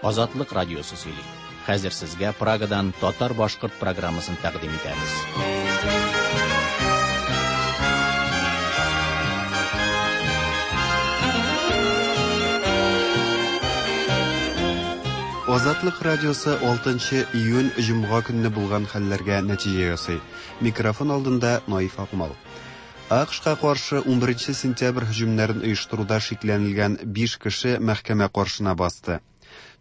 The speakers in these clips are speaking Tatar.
Азатлык радиосы сөйли. Хәзер сезгә Прагадан татар-башкорт программасын тәкъдим итәбез. Азатлык радиосы 6 июнь җомга көнне булган хәлләргә нәтиҗә ясый. Микрофон алдында Наиф Акмал. АКШка каршы 11 сентябрь һөҗүмнәрен оештыруда шикләнелгән 5 кеше мәхкәмә каршына басты.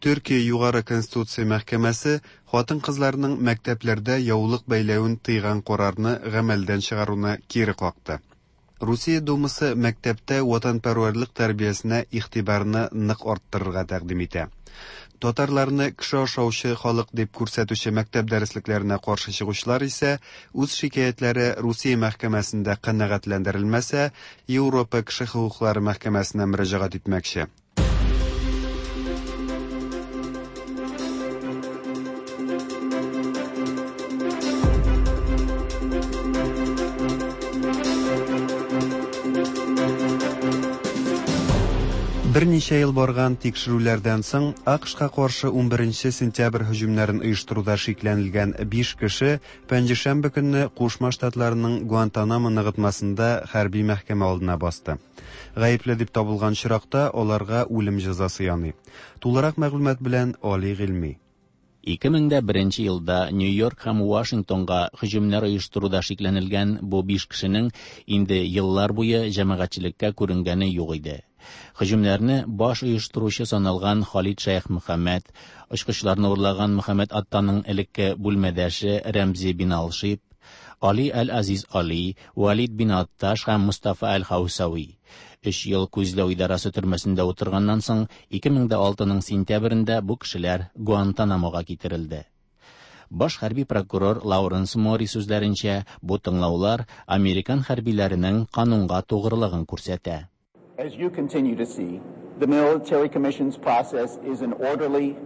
Төркия Югары Конституция мәхкәмәсе хатын-кызларның мәктәпләрдә яулык бәйләвен тыйган карарны гамәлдән чыгаруны кире какты. Русия Думасы мәктәптә ватанпәрвәрлек тәрбиясенә игътибарны нык арттырырга тәкъдим итә. Татарларны кеше ашаучы халык дип күрсәтүче мәктәп дәреслекләренә каршы чыгучылар исә үз шикаятьләре Русия мәхкәмәсендә канәгатьләндерелмәсә, Европа кеше хокуклары мәхкәмәсенә мөрәҗәгать итмәкче. Берничә ел барган тикшерүләрдән соң, АКШка каршы 11 сентябрь һөҗүмнәрен оештыруда шикләнелгән 5 кеше пәнҗешәмбе көнне Кушма Штатларының Гуантанамо ныгытмасында хәрби мәхкәмә алдына басты. Гаепле дип табылган очракта аларга үлем җәзасы яный. Тулырак мәгълүмат белән Али Гыйльми. 2001 елда Нью-Йорк һәм Вашингтонга һөҗүмнәр оештыруда шикләнелгән бу биш кешенең инде еллар буе җәмәгатьчелеккә күренгәне юк иде. Һөҗүмнәрне баш оештыручы саналган Халид Шәйх Мөхәммәд, очкычларны урлаган Мөхәммәд Аттаның элекке бүлмәдәше Рәмзи бин Алшиб, Али Әл-Азиз Али, Валид бин Атташ һәм Мустафа Әл-Хаусави. Өч ел күзләү идарасы төрмәсендә утырганнан соң, 2006 сентябрендә бу кешеләр Гуантанамога китерелде. Баш хәрби прокурор Лауренс Мори сүзләренчә, бу тыңлаулар американ хәрбиләренең канунга тугрылыгын күрсәтә. As you continue to see, the military commission's process is an orderly,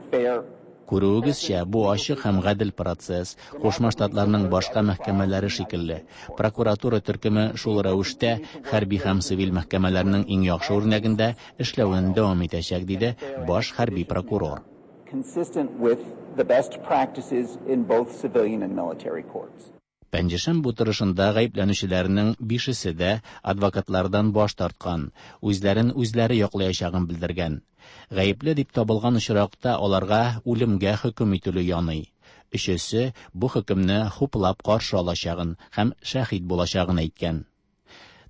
fair, Күрүегезчә, бу ачык һәм гадел процесс, Кушма Штатларның башка мәхкәмәләре шикелле. Прокуратура төркеме шул рәвештә хәрби һәм цивиль мәхкәмәләрнең иң яхшы үрнәгендә эшләвен дәвам итәчәк, диде баш хәрби прокурор. consistent with the best practices in both civilian and military courts. Пәнҗешәмбе утырышында гаепләнүчеләрнең бишесе дә адвокатлардан баш тарткан, үзләрен үзләре яклаячагын белдергән. Гаепле дип табылган очракта аларга үлемгә хөкем ителү яный. Өчесе бу хөкемне хуплап каршы алачагын һәм шәһит булачагын әйткән.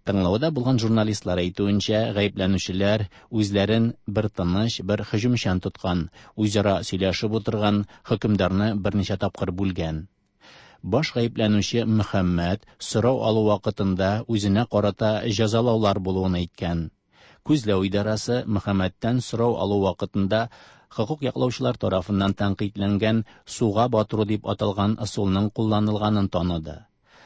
Тыңлауда булган журналистлар әйтүенчә, гаепләнүчеләр үзләрен бер тыныч, бер һөҗүмчән тоткан, үзара сөйләшеп утырган, хөкемдарны берничә тапкыр бүлгән. Баш гаепләнүче Мөхәммәд сорау алу вакытында үзенә карата җәзалаулар булуын әйткән. Күзләү идарасы Мөхәммәдтән сорау алу вакытында хокук яклаучылар тарафыннан тәнкыйтьләнгән суга батыру дип аталган ысулның кулланылганын таныды.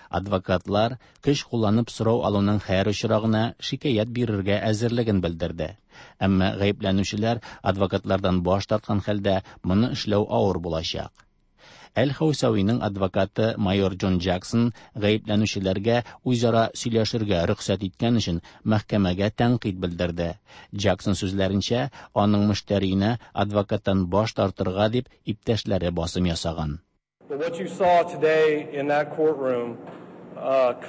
Адвокатлар көч кулланып сорау алуның һәр очрагына шикаять бирергә әзерлеген белдерде. Әмма гаепләнүчеләр адвокатлардан баш тарткан хәлдә моны эшләү авыр булачак. Әл-Хаусавиның адвокаты майор Джон Джексон гаепләнүчеләргә үзара сөйләшергә рөхсәт иткән өчен мәхкәмәгә тәнкыйть белдерде. Джексон сүзләренчә, аның мөштәриенә адвокаттан баш тартырга дип иптәшләре басым ясаган. But what you saw today in that courtroom,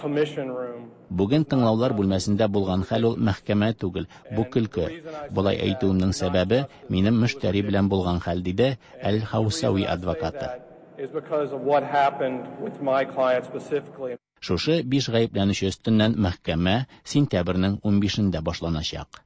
commission room, Бүген тыңлаулар бүлмәсендә булган хәл ул мәхкәмә түгел, бу көлке. Болай әйтүемнең сәбәбе минем мөштәри белән булган хәл, диде Әл-Хаусави адвокаты. is because of what happened with my client specifically. Шушы биш гаепләнүче өстеннән мәхкәмә сентябрьнең 15-ндә башланачак.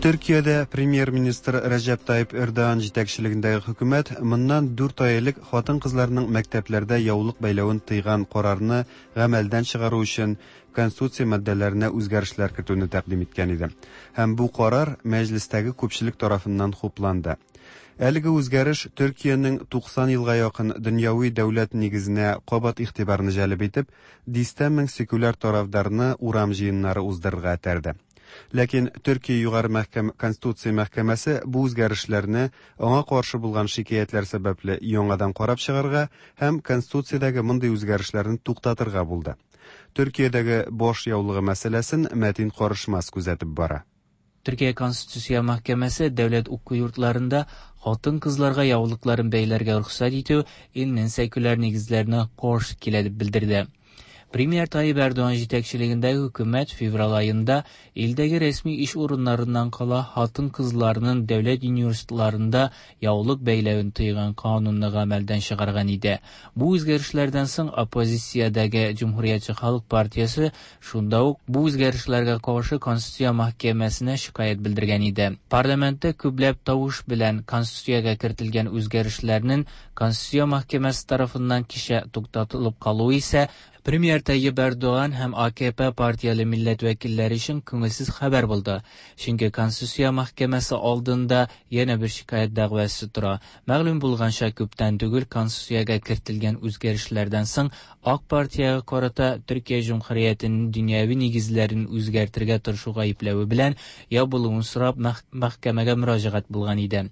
Төркиядә премьер-министр Рәҗәп Тайип Эрдоган җитәкчелегендәге хөкүмәт моннан 4 ай элек хатын-кызларның мәктәпләрдә яулык бәйләвен тыйган карарны гамәлдән чыгару өчен конституция маддәләренә үзгәрешләр кертүне тәкъдим иткән иде. Һәм бу карар мәҗлестәге күпчелек тарафыннан хупланды. Әлеге үзгәреш Төркиянең 90 елга якын дөньяви дәүләт нигезенә кабат игътибарны җәлеп итеп, дистә мең секуляр тарафдарны урам җыеннары уздырырга этәрде. Ләкин Төркия Югары мәхкәм Конституция мәхкәмәсе бу үзгәрешләрне аңа каршы булган шикаятьләр сәбәпле яңадан карап чыгарга һәм Конституциядәге мондый үзгәрешләрне туктатырга булды. Төркиядәге баш яулыгы мәсьәләсен Мәтин Карышмас күзәтеп бара. Төркия Конституция мәхкәмәсе дәүләт уку йортларында хатын-кызларга яулыкларын бәйләргә рөхсәт итү илнең секуляр нигезләренә каршы килә дип белдерде. Премьер Таyyip Эрдоган җитәкчелегендәге хөкүмәт февраль аенда илдәге рәсми эш урыннарыннан кала хатын-кызларның дәүләт университетларында яулык бәйләвен тыйган канунны гамәлдән чыгарган иде. Бу үзгәрешләрдән соң оппозициядәге Җөмһүриятче халык партиясе шунда ук бу үзгәрешләргә каршы Конституция мәхкәмәсенә шикаять белдергән иде. Парламентта күпләп тавыш белән Конституциягә кертелгән үзгәрешләрнең Конституция мәхкәмәсе тарафыннан кичә туктатылып калуы исә Премьер Tayyip Erdoğan һәм AKP партияле милләт вәкилләре өчен күңелсез хәбәр булды. Чөнки Конституция мәхкәмәсе алдында янә бер шикаять дәгъвасы тора. Мәгълүм булганча, күптән түгел Конституциягә кертелгән үзгәрешләрдән соң Ак партиягә карата Төркия Җөмһүриятенең дөньяви нигезләрен үзгәртергә тырышу гаепләве белән ябылуын сорап мәхкәмәгә мөрәҗәгать булган иде.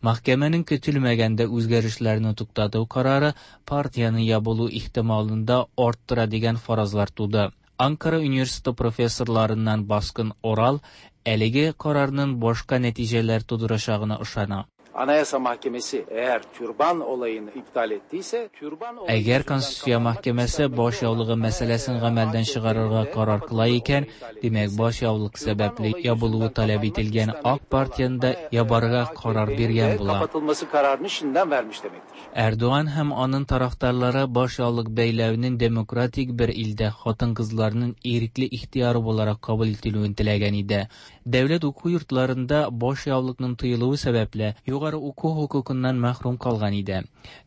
Мәхкәмәнең көтелмәгәндә үзгәрешләрне туктату карары партияне ябылу ихтималын да арттыра дигән фаразлар туды. Анкара университеты профессорларыннан Баскын Орал әлеге карарның башка нәтиҗәләр тудырачагына ышана. Anayasa Mahkemesi eğer türban olayını iptal ettiyse, türban olayı Әгәр Конституция мәхкәмәсе баш яулыгы мәсьәләсен гамәлдән чыгарырга карар кыла икән, димәк баш яулык сәбәпле ябылуы таләп ителгән Ак партияне дә ябарга карар биргән була. Kapatılması kararını şimdiden vermiş demektir. Эрдоган һәм аның тарафдарлары баш яулык бәйләүнең демократик бер илдә хатын-кызларның ирекле ихтыяры буларак кабул ителүен теләгән иде. Дәүләт уку йортларында баш яулыкның тыелуы сәбәпле югары уку хокукыннан мәхрүм калган иде.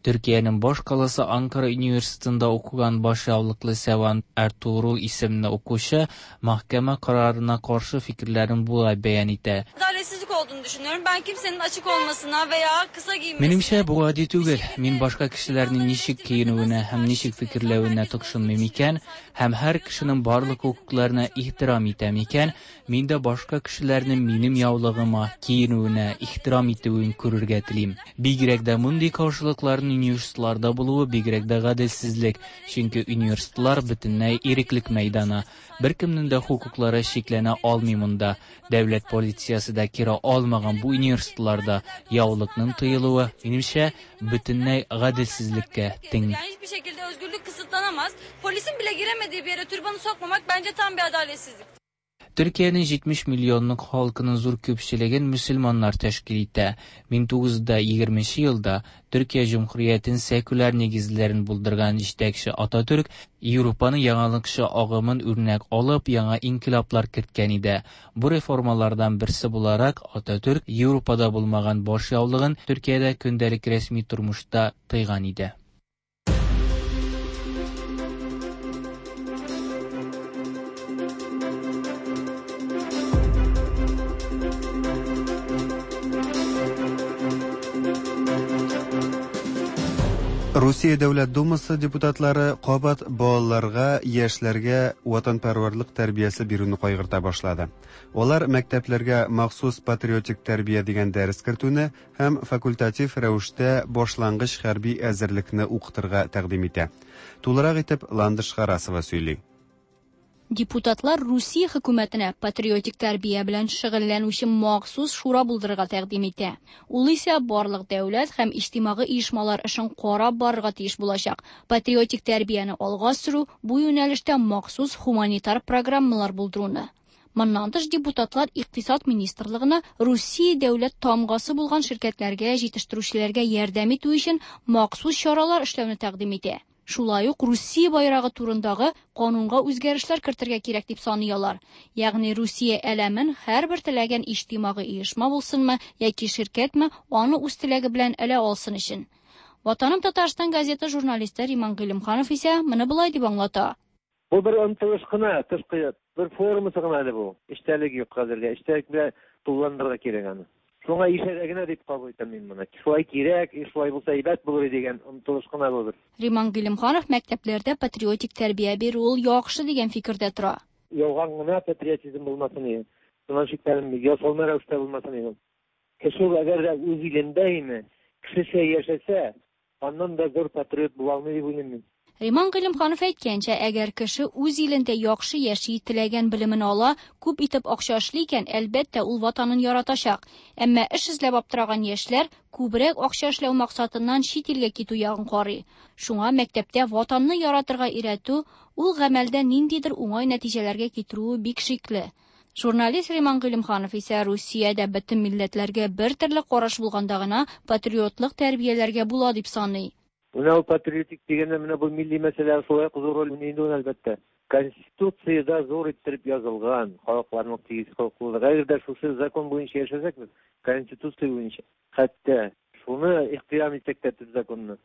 Төркиянең баш каласы Анкара университетында укыган баш яулыклы Сәван Эртугрул исемле укучы мәхкәмә карарына каршы фикерләрен болай бәян итә. Adaletsizlik olduğunu düşünüyorum. Ben kimsenin açık olmasına veya kısa giyinmesine... Минемчә, бу гади түгел. Мин башка кешеләрнең ничек киенүенә һәм ничек фикерләвенә тыкшынмыйм икән, һәм һәр кешенең барлык хокукларына ихтирам итәм икән, мин дә башка кешеләрнең минем яулыгыма, киенүенә ихтирам итүен күрергә телим. Бигрәк дә мондый каршылыкларның университетларда булуы бигрәк дә гаделсезлек, чөнки университетлар бөтенләй иреклек мәйданы. Беркемнең дә хокуклары чикләнә алмый монда. Дәүләт полициясе дә кире алмаган бу университетларда яулыкның тыелуы, минемчә, бөтенләй гаделсезлеккә тиң. Yani hiçbir şekilde özgürlük kısıtlanamaz. Polisin bile giremediği bir yere türbanı sokmamak bence tam bir adaletsizlik. Төркиянең 70 миллионлык халкының зур күпчелеген мөселманнар тәшкил итә. 1920 елда Төркия Җөмһүриятен секуляр нигезләрен булдырган җитәкче Ататүрк Европаның яңалыкчы агымын үрнәк алып, яңа инкыйлаблар керткән иде. Бу реформалардан берсе буларак Ататүрк Европада булмаган баш яулыгын Төркиядә көндәлек рәсми тормышта тыйган иде. Русия Дәүләт Думасы депутатлары кабат балаларга, яшьләргә ватанпәрвәрлек тәрбиясе бирүне кайгырта башлады. Алар мәктәпләргә махсус патриотик тәрбия дигән дәрес кертүне һәм факультатив рәвештә башлангыч хәрби әзерлекне укытырга тәкъдим итә. Тулырак итеп Ландыш Харасова сөйли. Депутатлар Русия хөкүмәтенә патриотик тәрбия белән шөгыльләнүче махсус шура булдырырга тәкъдим итә. Ул исә барлык дәүләт һәм иҗтимагый оешмалар эшен карап барырга тиеш булачак. Патриотик тәрбияне алга сөрү бу юнәлештә махсус хуманитар программалар булдыруны. Моннан тыш депутатлар Икътисад министрлыгына Русия дәүләт тамгасы булган ширкәтләргә, җитештерүчеләргә ярдәм итү өчен махсус чаралар эшләүне тәкъдим итә. Шулай ук Русия байрагы турындагы канунга үзгәрешләр кертергә кирәк дип саный алар. Ягъни Русия әләмен һәрбер теләгән иҗтимагый оешма булсынмы яки ширкәтме, аны үз теләге белән элә алсын өчен. Ватаным Татарстан газеты журналисты Риман Гыйлемханов исә моны болай дип аңлата. Бу бер омтылыш кына, тышкы бер формасы гына әле бу. Эчтәлеге юк хәзергә. Эчтәлек белән тулыландырырга кирәк аны. Шуңа ишарә генә дип кабул итәм мин моны. Шулай кирәк, шулай булса әйбәт булыр дигән омтылыш кына бу бер. Риман Гыйлемханов мәктәпләрдә патриотик тәрбия бирү ул яхшы дигән фикердә тора. Ялган гына патриотизм булмасын иде. Шуннан шикләнмим, ясалма рәвештә булмасын иде. Кеше ул әгәр дә үз илендә име, кешечә яшәсә, аннан да зур патриот була алмый дип уйлыйм мин. Риман Гыйлемханов әйткәнчә, әгәр кеше үз илендә яхшы яши, теләгән белемен ала, күп итеп акча эшли икән, әлбәттә, ул Ватанын яратачак. Әмма эш эзләп аптыраган яшьләр күбрәк акча эшләү максатыннан чит илгә китү ягын карый. Шуңа мәктәптә Ватанны яратырга өйрәтү ул гамәлдә ниндидер уңай нәтиҗәләргә китерүе бик шикле. Журналист Риман Гыйлемханов исә Русиядә бөтен милләтләргә бер төрле караш булганда гына патриотлык тәрбияләргә була дип саный. Менә ул патриотик дигәндә менә бу милли мәсьәлә шулай ук зур роль уйный инде ул, әлбәттә. Конституциядә зур иттереп язылган халыкларның тигез хокуклылыгы. Әгәр дә шушы закон буенча яшәсәк без, Конституция буенча, хәтта шуны ихтирам итсәк тә төп законны.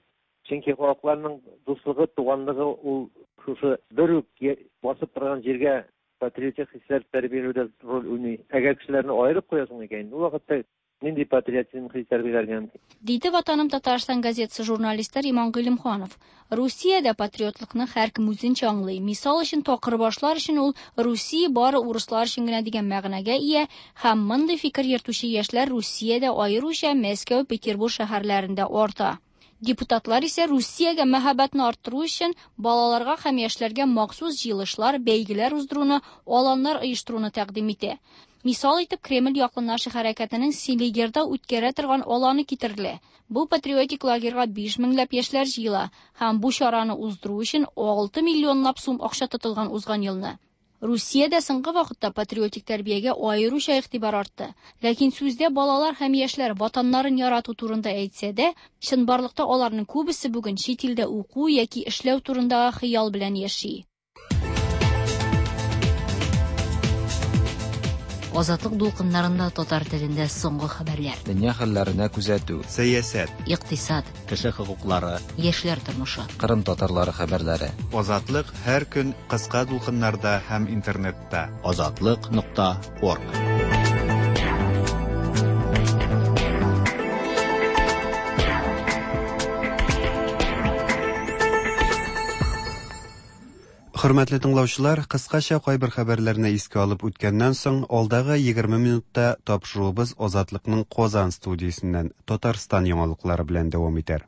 Чөнки халыкларның дуслыгы, туганлыгы ул шушы бер үк басып торган җиргә патриотик хисләр тәрбияләүдә роль уйный. Әгәр кешеләрне аерып куясың икән, ул вакытта нинди патриотизм хис тәрбияләргә мөмкин? Диде Ватаным Татарстан газетасы журналисты Риман Гыйлемханов. Русиядә патриотлыкны һәркем үзенчә аңлый. Мисал өчен, такырбашлар өчен ул Русия бары урыслар өчен генә дигән мәгънәгә ия һәм мондый фикер йөртүче яшьләр Русиядә, аеруча Мәскәү, Петербур шәһәрләрендә арта. Депутатлар исә Русиягә мәхәббәтне арттыру өчен балаларга һәм яшьләргә махсус җыелышлар, бәйгеләр уздыруны, аланнар оештыруны тәкъдим итә. Мисал итеп Кремль яклы Наши хәрәкәтенең Селигерда үткәрә торган аланы китерелә. Бу патриотик лагерьга 5 меңләп яшьләр җыела һәм бу чараны уздыру өчен 6 миллионлап сум акча тотылган узган елны. Русиядә соңгы вакытта патриотик тәрбиягә аеруча игътибар артты. Ләкин сүздә балалар һәм яшьләр ватаннарын ярату турында әйтсә дә, чынбарлыкта аларның күбесе бүген чит илдә уку яки эшләү турындагы хыял белән яши. Азатлык дулкыннарында татар телендә соңгы хәбәрләр. Дөнья хәлләренә күзәтү. Сәясәт. Икътисад. Кеше хокуклары. Яшьләр тормышы. Кырым татарлары хәбәрләре. Азатлык һәр көн кыска дулкыннарда һәм интернетта. Азатлык нокта орг. Хөрмәтле тыңлаучылар, кыскача кайбер хәбәрләрне искә алып үткәннән соң, алдагы 20 минутта тапшыруыбыз Азатлыкның Казан студиясеннән Татарстан яңалыклары белән дәвам итәр.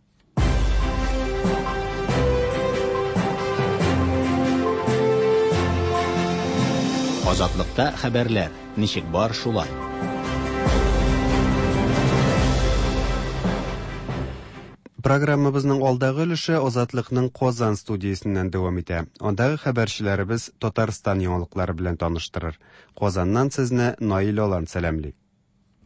Азатлыкта хәбәрләр ничек бар шулай. Программабызның алдагы өлеше Азатлыкның Казан студиясеннән дәвам итә. Андагы хәбәрчеләребез Татарстан яңалыклары белән таныштырыр. Казаннан сезне Наил Алан сәламли.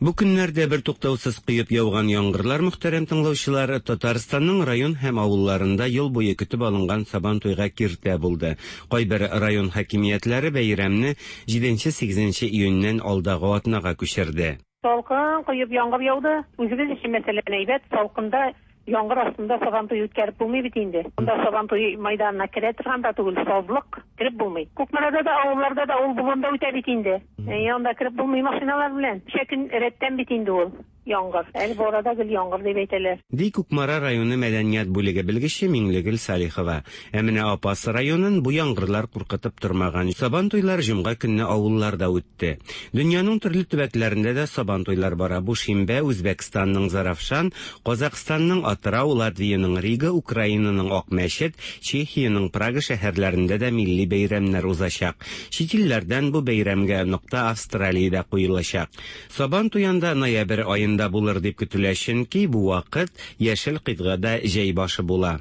Бу көннәрдә бер туктаусыз коеп яуган яңгырлар, мөхтәрәм тыңлаучылар, Татарстанның район һәм авылларында ел буе көтеп алынган Сабантуйга киртә булды. Кайбер район хакимиятләре бәйрәмне 7-8 июньнән алдагы атнага күчерде. Салкын коеп яңгыр яуды. Үзебез өчен мәсәлән әйбәт, салкында яңгыр астында Сабантуй үткәреп булмый бит инде. Монда Сабантуй майданына керә торган да түгел, сазлык, кереп булмый. Кукмарада да, авылларда да ул болында үтә бит инде. Анда кереп булмый машиналар белән. Ничә көн рәттән бит инде ул яңгыр. Әле бу арада гел яңгыр дип әйтәләр. Ди Кукмара районы мәдәният бүлеге белгече Миңлегөл Салихова. Ә менә Апас районын бу яңгырлар куркытып тормаган. Сабантуйлар җомга көнне авылларда үтте. Дөньяның төрле төбәкләрендә дә сабантуйлар бара. Бу шимбә Үзбәкстанның Зарафшан, Казакъстанның Атырау, Латвиянең Рига, Украинаның Акмәчет, Чехиянең Прага шәһәрләрендә дә милли бәйрәмнәр узачак. Чит илләрдән бу бәйрәмгә нокта Австралиядә куелачак. Сабан туенда ноябрь аенда булыр дип көтелә, чөнки бу вакыт яшел кыйтгада җәй башы була.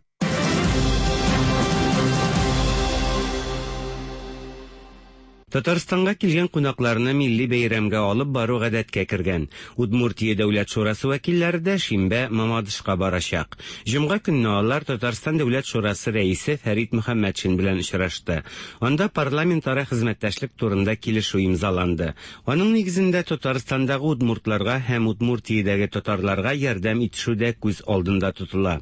Татарстанга килгән кунакларны милли бәйрәмгә алып бару гадәткә кергән. Удмуртия Дәүләт шурасы вәкилләре дә шимбә Мамадышка барачак. Җомга көнне алар Татарстан Дәүләт шурасы рәисе Фәрит Мөхәммәтшин белән очрашты. Анда парламентара хезмәттәшлек турында килешү имзаланды. Аның нигезендә Татарстандагы удмуртларга һәм Удмуртиядәге татарларга ярдәм итешү дә күз алдында тотыла.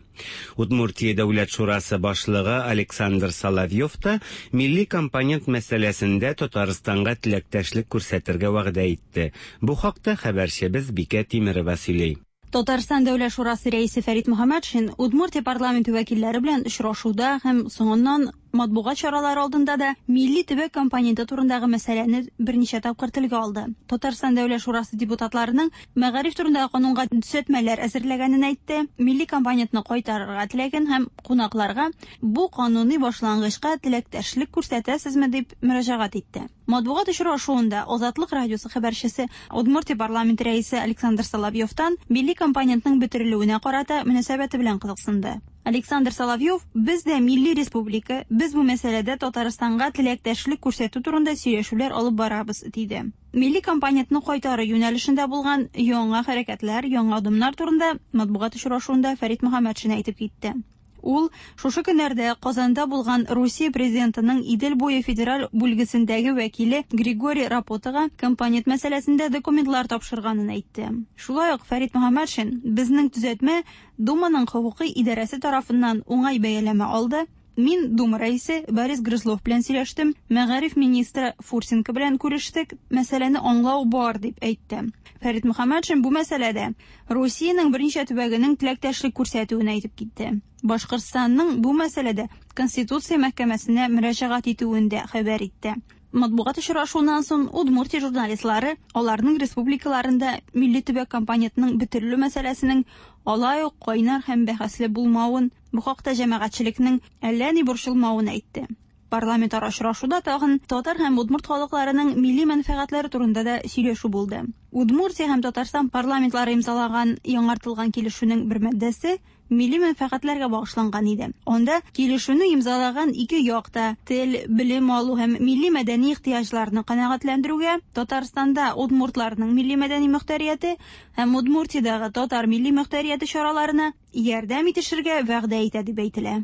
Удмуртия Дәүләт шурасы башлыгы Александр Соловьев та милли компонент мәсьәләсендә Татарстанга теләктәшлек күрсәтергә вәгъдә итте. Бу хакта хәбәрчебез Бикә Тимерова сөйли. Татарстан Дәүләт шурасы рәисе Фәрит Мөхәммәтшин Удмуртия парламенты вәкилләре белән очрашуда һәм соңыннан Матбугат чаралары алдында да милли төбәк компоненты турындагы мәсьәләне берничә тапкыр телгә алды. Татарстан Дәүләт шурасы депутатларының мәгариф турындагы канунга төзәтмәләр әзерләгәнен әйтте, милли компонентны кайтарырга теләген һәм кунакларга бу кануни башлангычка теләктәшлек күрсәтәсезме дип мөрәҗәгать итте. Матбугат очрашуында Азатлык радиосы хәбәрчесе Удмуртия парламенты рәисе Александр Соловьевтан милли компонентның бетерелүенә карата мөнәсәбәте белән кызыксынды. Александр Соловьев, Без дә милли республика, без бу мәсьәләдә Татарстанга теләктәшлек күрсәтү турында сөйләшүләр алып барабыз, диде. Милли компонентны кайтару юнәлешендә булган яңа хәрәкәтләр, яңа адымнар турында матбугат очрашуында Фәрит Мөхәммәтшин әйтеп китте. Ул шушы көннәрдә Казанда булган Русия президентының Идел буе федераль бүлгесендәге вәкиле Григорий Рапотага компонент мәсьәләсендә документлар тапшырганын әйтте. Шулай ук Фәрит Мөхәммәтшин, Безнең төзәтмә Думаның хокукый идарәсе тарафыннан уңай бәяләмә алды. Мин Дума рәисе Борис Грызлов белән сөйләштем, мәгариф министры Фурсенко белән күрештек, мәсьәләне аңлау бар, дип әйтте. Фәрит Мөхәммәтшин бу мәсьәләдә Русиянең берничә төбәгенең теләктәшлек күрсәтүен әйтеп китте. Башкортстанның бу мәсьәләдә Конституция мәхкәмәсенә мөрәҗәгать итүен дә хәбәр итте. Матбугат очрашуыннан соң Удмуртия журналистлары аларның республикаларында милли төбәк компонентының бетерелү мәсьәләсенең алай ук кайнар һәм бәхәсле булмавын, бу хакта җәмәгатьчелекнең әллә ни борчылмавын әйтте. Парламентара очрашуда тагын татар һәм удмурт халыкларының милли мәнфәгатьләре турында да сөйләшү булды. Удмуртия һәм Татарстан парламентлары имзалаган яңартылган килешүнең бер маддәсе милли мәнфәгатьләргә багышланган иде. Анда килешүне имзалаган ике як та тел, белем алу һәм милли-мәдәни ихтыяҗларны канәгатьләндерүгә, Татарстанда удмуртларның милли-мәдәни мохтәрияте һәм Удмуртиядәге татар милли мохтәрияте чараларына ярдәм итешергә вәгъдә итә дип әйтелә.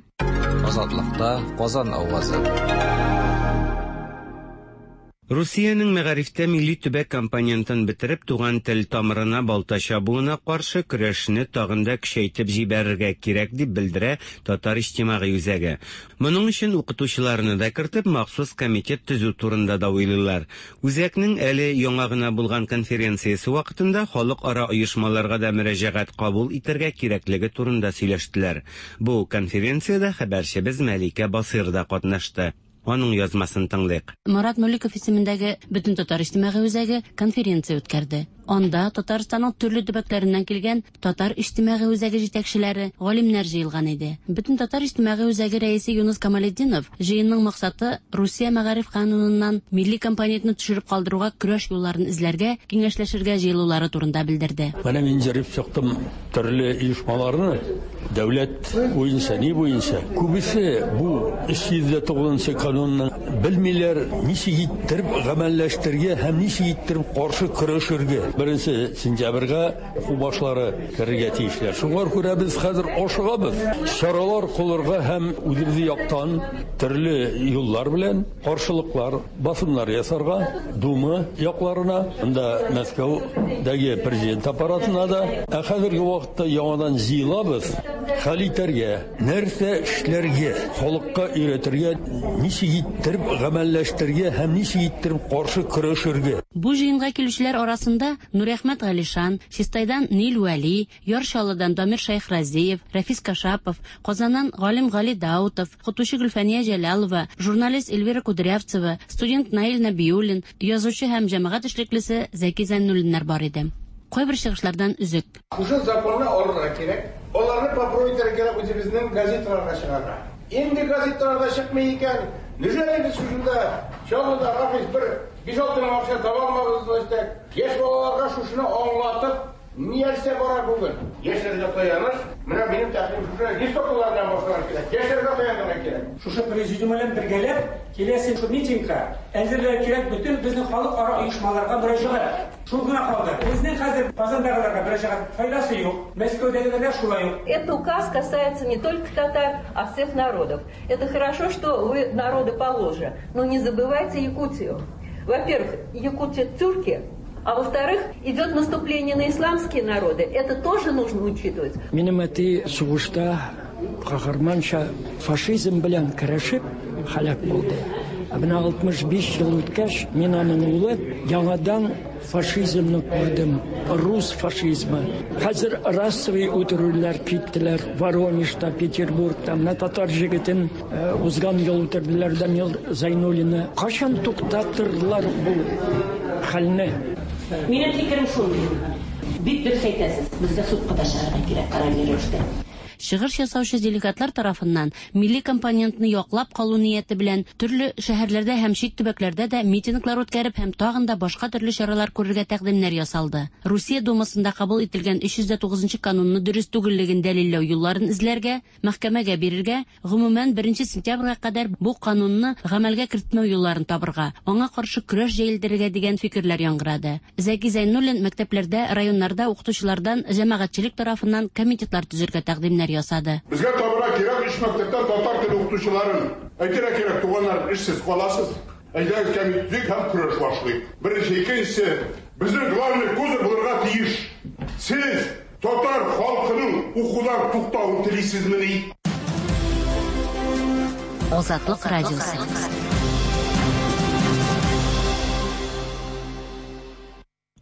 Азатлыкта Казан авазы. Русиянең мәгарифтә милли төбәк компонентын бетереп, туган тел тамырына балта чабуына каршы көрәшне тагын да көчәйтеп җибәрергә кирәк, дип белдерә Татар иҗтимагый үзәге. Моның өчен укытучыларны да кертеп, махсус комитет төзү турында да уйлыйлар. Үзәкнең әле яңа гына булган конференциясе вакытында халыкара оешмаларга да мөрәҗәгать кабул итәргә кирәклеге турында сөйләштеләр. Бу конференциядә хәбәрчебез Мәликә Басыйр да катнашты. Аның язмасын тыңлыйк. Марат Мөлеков исемендәге Бөтентатар иҗтимагый үзәге конференция үткәрде. Анда Татарстанның төрле төбәкләреннән килгән Татар иҗтимагый үзәге җитәкчеләре, галимнәр җыелган иде. Бөтентатар иҗтимагый үзәге рәисе Юныс Камалетдинов җыенның максаты Русия мәгариф кануныннан милли компонентны төшереп калдыруга көрәш юлларын эзләргә, киңәшләшергә җыелулары турында белдерде. Менә мин җырып чыктым төрле оешмаларны, дәүләт буенча, ни буенча. Күбесе бу 309 нчы канунны белмиләр, ничек иттереп гамәлләштерергә һәм ничек иттереп каршы көрәшергә. Беренче сентябрьгә уку башлары керергә тиешләр. Шуңа күрә без хәзер ашыгабыз чаралар кылырга һәм үзебез яктан төрле юллар белән каршылыклар, басымнар ясарга Дума якларына, анда Мәскәүдәге президент аппаратына да. Ә хәзерге вакытта яңадан җыелабыз, хәл итәргә, нәрсә эшләргә, халыкка өйрәтергә, ничек иттереп гамәлләштерергә һәм ничек иттереп каршы көрәшергә. Бу җыенга килүчеләр арасында Нуриәхмәт Галишан, Чистайдан Нил Вәли, Яр Чаллыдан Дамир Шәйхразиев, Рәфис Кашапов, Казаннан галим Гали Даутов, укытучы Гөлфәния Җәлалова, журналист Эльвира Кудрявцева, студент Наил Нәбиуллин, язучы һәм җәмәгать эшлеклесе Зәки Зәйнуллиннар бар иде. Кайбер чыгышлардан өзек. Шушы законны алырга кирәк, аларны попробовать итәргә кирәк үзебезнең газеталарга чыгарга. Инде газеталарда чыкмый икән, неужели без шушында Чаллыда Рафис бер биш-алты мең акча таба алмабыз, значит, яшь балаларга шушыны аңлатып, Нәрсә бара бүген? Яшьләргә таяныч, менә минем тәкъдим шушы, листовкалардан башларга кирәк, яшьләргә таянырга кирәк. Шушы президиум белән бергәләп киләсе шул митингка әзерләргә кирәк бөтен безнең халыкара оешмаларга мөрәҗәгать. Шул гына калды. Безнең хәзер Казандагыларга мөрәҗәгать файдасы юк, Мәскәүдәгеләргә шулай ук. Этот указ касается не только татар, а всех народов. Это хорошо, что вы народы Поволжья, но не забывайте Якутию. Во-первых, якутия тюрки, а во-вторых, идет наступление на исламские народы. Это тоже нужно учитывать. Минем әти сугышта каһарманча фашизм белән көрәшеп һәлак булды. Ә менә 65 ел үткәч, мин аның улы, яңадан фашизмны күрдем. Рус фашизмы. Хәзер расовый үтерүләр киттеләр. Воронежда, Петербургта. Менә татар җегетен э, узган ел үтерделәр Данил Зайнуллинны. Кайчан туктатырлар бу хәлне? Минем фикерем шундый. Бик дөрес әйтәсез, безгә судка да чыгарга кирәк параллель рәвештә. Чыгыш ясаучы делегатлар тарафыннан милли компонентны яклап калу нияте белән төрле шәһәрләрдә һәм чит төбәкләрдә дә митинглар үткәреп һәм тагын да башка төрле чаралар күрергә тәкъдимнәр ясалды. Русия Думасында кабул ителгән 309 нчы канунны дөрес түгеллеген дәлилләү юлларын эзләргә, мәхкәмәгә бирергә, гомумән, беренче сентябрьгә кадәр бу канунны гамәлгә кертмәү юлларын табырга, аңа каршы көрәш җәелдерергә дигән фикерләр яңгырады. Зәки Зәйнуллин мәктәпләрдә, районнарда укытучылардан, җәмәгатьчелек тарафыннан комитетлар төзергә тәкъдимнәр ясады. Безгә табырга кирәк өч мәктәптән татар теле укытучыларын. Әйтергә кирәк, туганнар, эшсез каласыз. Әйдәгез, кәмит төзик һәм көрәш башлыйк. Беренче, икенчесе, безнең главный козырь булырга тиеш. Сез татар халкының укудан туктавын телисезмени? Азатлык радиосы.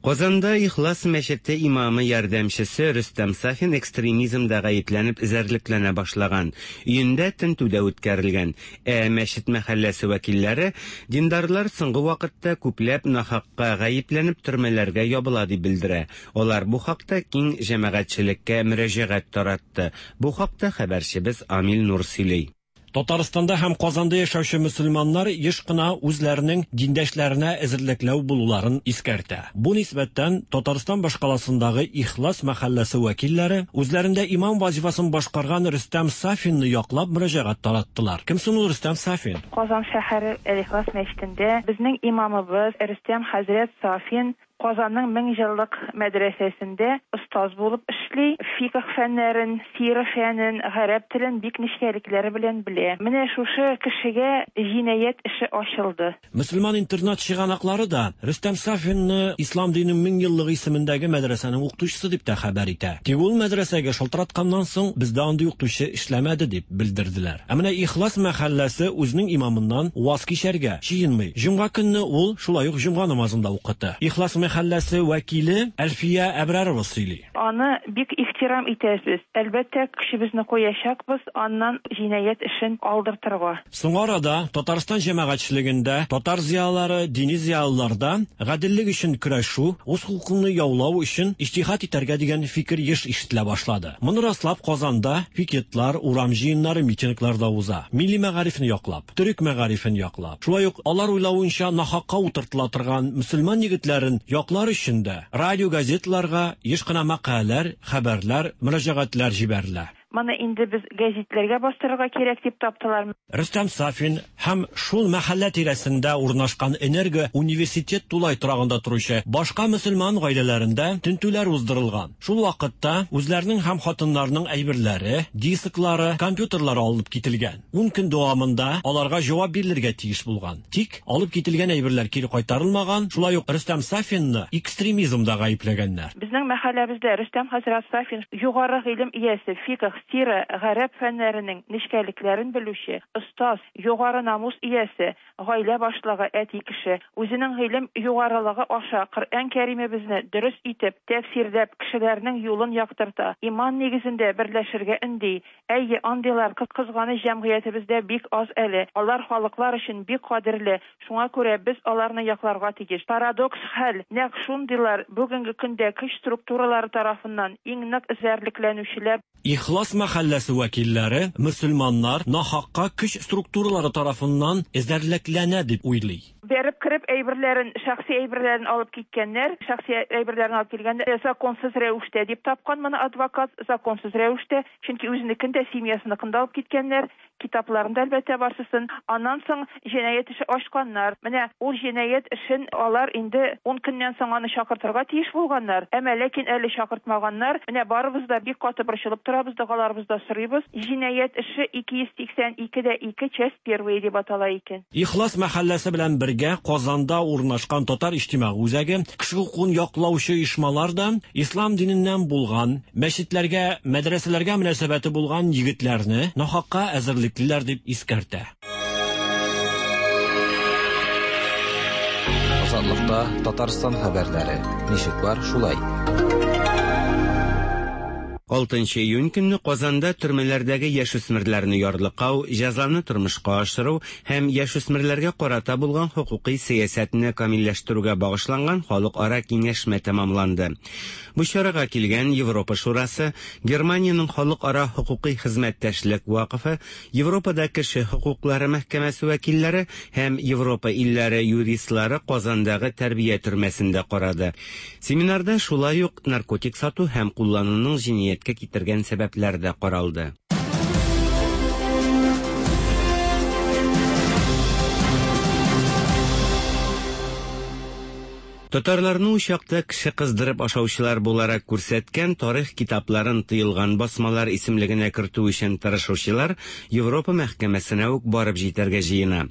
Казанда Ихлас мәчете имамы ярдәмчесе Рөстәм Сафин экстремизмда гаепләнеп эзәрлекләнә башлаган. Өендә тентү дә үткәрелгән. Ә мәчет мәхәлләсе вәкилләре диндарлар соңгы вакытта күпләп нахакка гаепләнеп төрмәләргә ябыла дип белдерә. Алар бу хакта киң җәмәгатьчелеккә мөрәҗәгать таратты. Бу хакта хәбәрчебез Амил Нур сөйли. Татарстанда һәм Казанда яшәүче мөселманнар еш кына үзләренең диндәшләренә эзәрлекләү булуларын искәртә. Бу нисбәттән Татарстан башкаласындагы Ихлас мәхәлләсе вәкилләре үзләрендә имам вазифасын башкарган Рөстәм Сафинны яклап мөрәҗәгать тараттылар. Кем соң ул Рөстәм Сафин? Казан шәһәре Әл-Ихлас мәчетендә безнең имамыбыз Рөстәм хәзрәт Сафин Казанның меңҗеллык мәдрәсәсендә остаз булып эшли, фикһ фәннәрен, сира фәнен, гарәп телен бик нечкәлекләре белән белә. Менә шушы кешегә җинаять эше ачылды. Мөселман интернат чыганаклары да Рөстәм Сафинны Ислам диненең меңьеллыгы исемендәге мәдрәсәнең укытучысы дип тә хәбәр итә. Тик ул мәдрәсәгә шалтыратканнан соң, бездә андый укытучы эшләмәде дип белдерделәр. Ә менә Ихлас мәхәлләсе үзенең имамыннан ваз кичәргә җыенмый. Җомга көнне ул шулай ук җомга намазын да укыты. Ихлас мәхәлләсе вәкиле Әлфия Әбрарова сөйли. Аны бик ихтирам итәбез. Әлбәттә, көчебезне куячакбыз аннан җинаять эшен алдыртырга. Соңгы арада Татарстан җәмәгатьчелегендә татар зыялылары, дини зыялыларда гаделлек өчен көрәшү, үз хокукыңны яулау өчен иҗтиһад итәргә дигән фикер еш ишетелә башлады. Моны раслап Казанда пикетлар, урам җыеннары, митинглар да уза. Милли мәгарифне яклап, төрек мәгарифен яклап, шулай ук алар уйлавынча нахакка утыртыла торган мөселман егетләрен яклар өчен дә радио-газеталарга еш кына мәкаләләр, хәбәрләр, мөрәҗәгатьләр җибәрелә. Моны инде без гәзитләргә бастырырга кирәк дип таптылар. Рөстәм Сафин һәм шул мәхәллә тирәсендә урнашкан Энерго университет тулай торагында торучы башка мөселман гаиләләрендә тентүләр уздырылган. Шул вакытта үзләренең һәм хатыннарының әйберләре, дисклары, компьютерлары алынып кителгән. Ун көн дәвамында аларга җавап бирелергә тиеш булган. Тик алып кителгән әйберләр кире кайтарылмаган, шулай ук Рөстәм Сафинны экстремизмда гаепләгәннәр. Безнең мәхәлләбездә Рөстәм хәзрәт Сафин югары гыйлем иясе, фикһ, сира, гарәп фәннәренең нечкәлекләрен белүче, остаз, югары намус иясе, гаилә башлыгы, әти кеше. Үзенең гыйлем югарылыгы аша Коръән Кәримебезне дөрес итеп тәфсирләп, кешеләрнең юлын яктырта, иман нигезендә берләшергә өнди. Әйе, андыйлар, кызганыч, җәмгыятебездә бик аз әле. Алар халыклар өчен бик кадерле, шуңа күрә без аларны якларга тиеш. Парадокс хәл, нәкъ шундыйлар бүгенге көндә көч структуралары тарафыннан иң нык эзәрлекләнүчеләр. Ихлас мәхәлләсе вәкилләре мөселманнар нахакка көч структуралары тарафыннан эзәрлекләнә дип уйлый. Бәреп кереп әйберләрен, шәхси әйберләрен алып киткәннәр, шәхси әйберләрен алып килгәндә законсыз рәвештә дип тапкан моны адвокат, законсыз рәвештә, чөнки үзенекен дә, семьясыныкын да алып киткәннәр, китапларын да, әлбәттә, барсысын. Аннан соң җинаять эше ачканнар. Менә ул җинаять эшен алар инде ун көннән соң аны чакыртырга тиеш булганнар. Әмма ләкин әле чакыртмаганнар. Менә барыбыз да бик каты борчылып торабыз, догаларыбызда сорыйбыз. Җинаять эше 282 дә 2 часть первая дип атала икән. Ихлас мәхәлләсе белән бергә Казанда урнашкан Татар иҗтимагый үзәге, кеше хокукын яклаучы оешмалар да ислам диненнән булган, мәчетләргә, мәдрәсәләргә мөнәсәбәте булган егетләрне нахакка әзерлеклиләр дип искәртә. Азатлыкта Татарстан хәбәрләре. Ничек бар, шулай. 6 июнь көнне Казанда төрмәләрдәге яшүсмерләрне ярлыкау, җәзаны тормышка ашыру һәм яшүсмерләргә карата булган хокукый сәясәтне камилләштерүгә багышланган халыкара киңәшмә тәмамланды. Бу чарага килгән Европа Шурасы, Германиянең халыкара хокукый хезмәттәшлек вакыфы, Европада кеше хокуклары мәхкәмәсе вәкилләре һәм Европа илләре юристлары Казандагы тәрбия төрмәсендә карады. Семинарда шулай ук наркотик сату һәм куллануның җинаятькә китергән сәбәпләре дә каралды. Татарларны учакта кеше кыздырып ашаучылар буларак күрсәткән тарих китапларын тыелган басмалар исемлегенә кертү өчен тырышучылар Европа мәхкәмәсенә үк барып җитәргә җыена.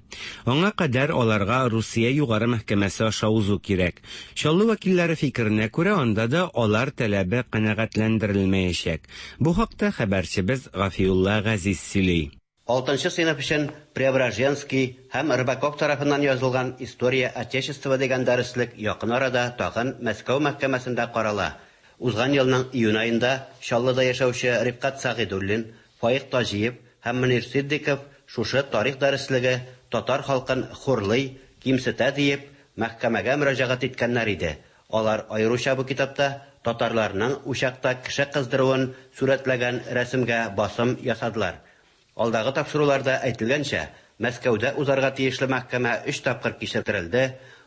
Аңа кадәр аларга Русия Югары мәхкәмәсе аша узу кирәк. Чаллы вәкилләре фикеренә күрә, анда да алар таләбе канәгатьләндерелмәячәк. Бу хакта хәбәрчебез Гафиулла Газиз сөйли. Алтынчы сыйныф өчен Преображенский һәм Рыбаков тарафыннан язылган История Отечества дигән дәреслек якын арада тагын Мәскәү мәхкәмәсендә карала. Узган елның июнь аенда Чаллыда яшәүче Рифкать Сәгыйдуллин, Фаик Таҗиев һәм Мөнир Ситдыйков шушы тарих дәреслеге татар халкын хурлый, кимсетә диеп, мәхкәмәгә мөрәҗәгать иткәннәр иде. Алар аеруча бу китапта татарларның учакта кеше кыздыруын сурәтләгән рәсемгә басым ясадылар. Алдагы тапшыруларда әйтелгәнчә, Мәскәүдә узарга тиешле мәхкәмә өч тапкыр кичектерелде.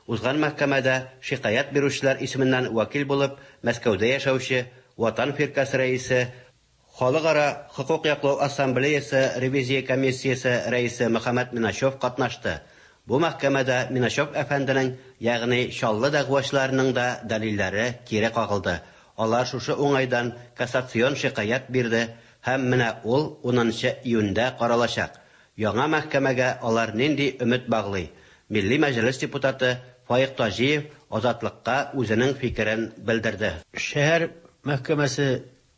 Узган мәхкәмәдә шикаять бирүчеләр исеменнән вәкил булып Мәскәүдә яшәүче Ватан фиркасе рәисе, Халыкара хокук яклау ассамблеясы ревизия комиссиясе рәисе Мөхәммәт Миначев катнашты. Бу мәхкәмәдә Миначев әфәнденең, ягъни Чаллы дәгъвачыларының да дәлилләре кире кагылды. Алар шушы уңайдан кассацион шикаять бирде һәм менә ул унынчы июньдә каралачак. Яңа мәхкәмәгә алар нинди өмет баглый? Милли Мәҗлес депутаты Фаик Таҗиев Азатлыкка үзенең фикерен белдерде. Шәһәр мәхкәмәсе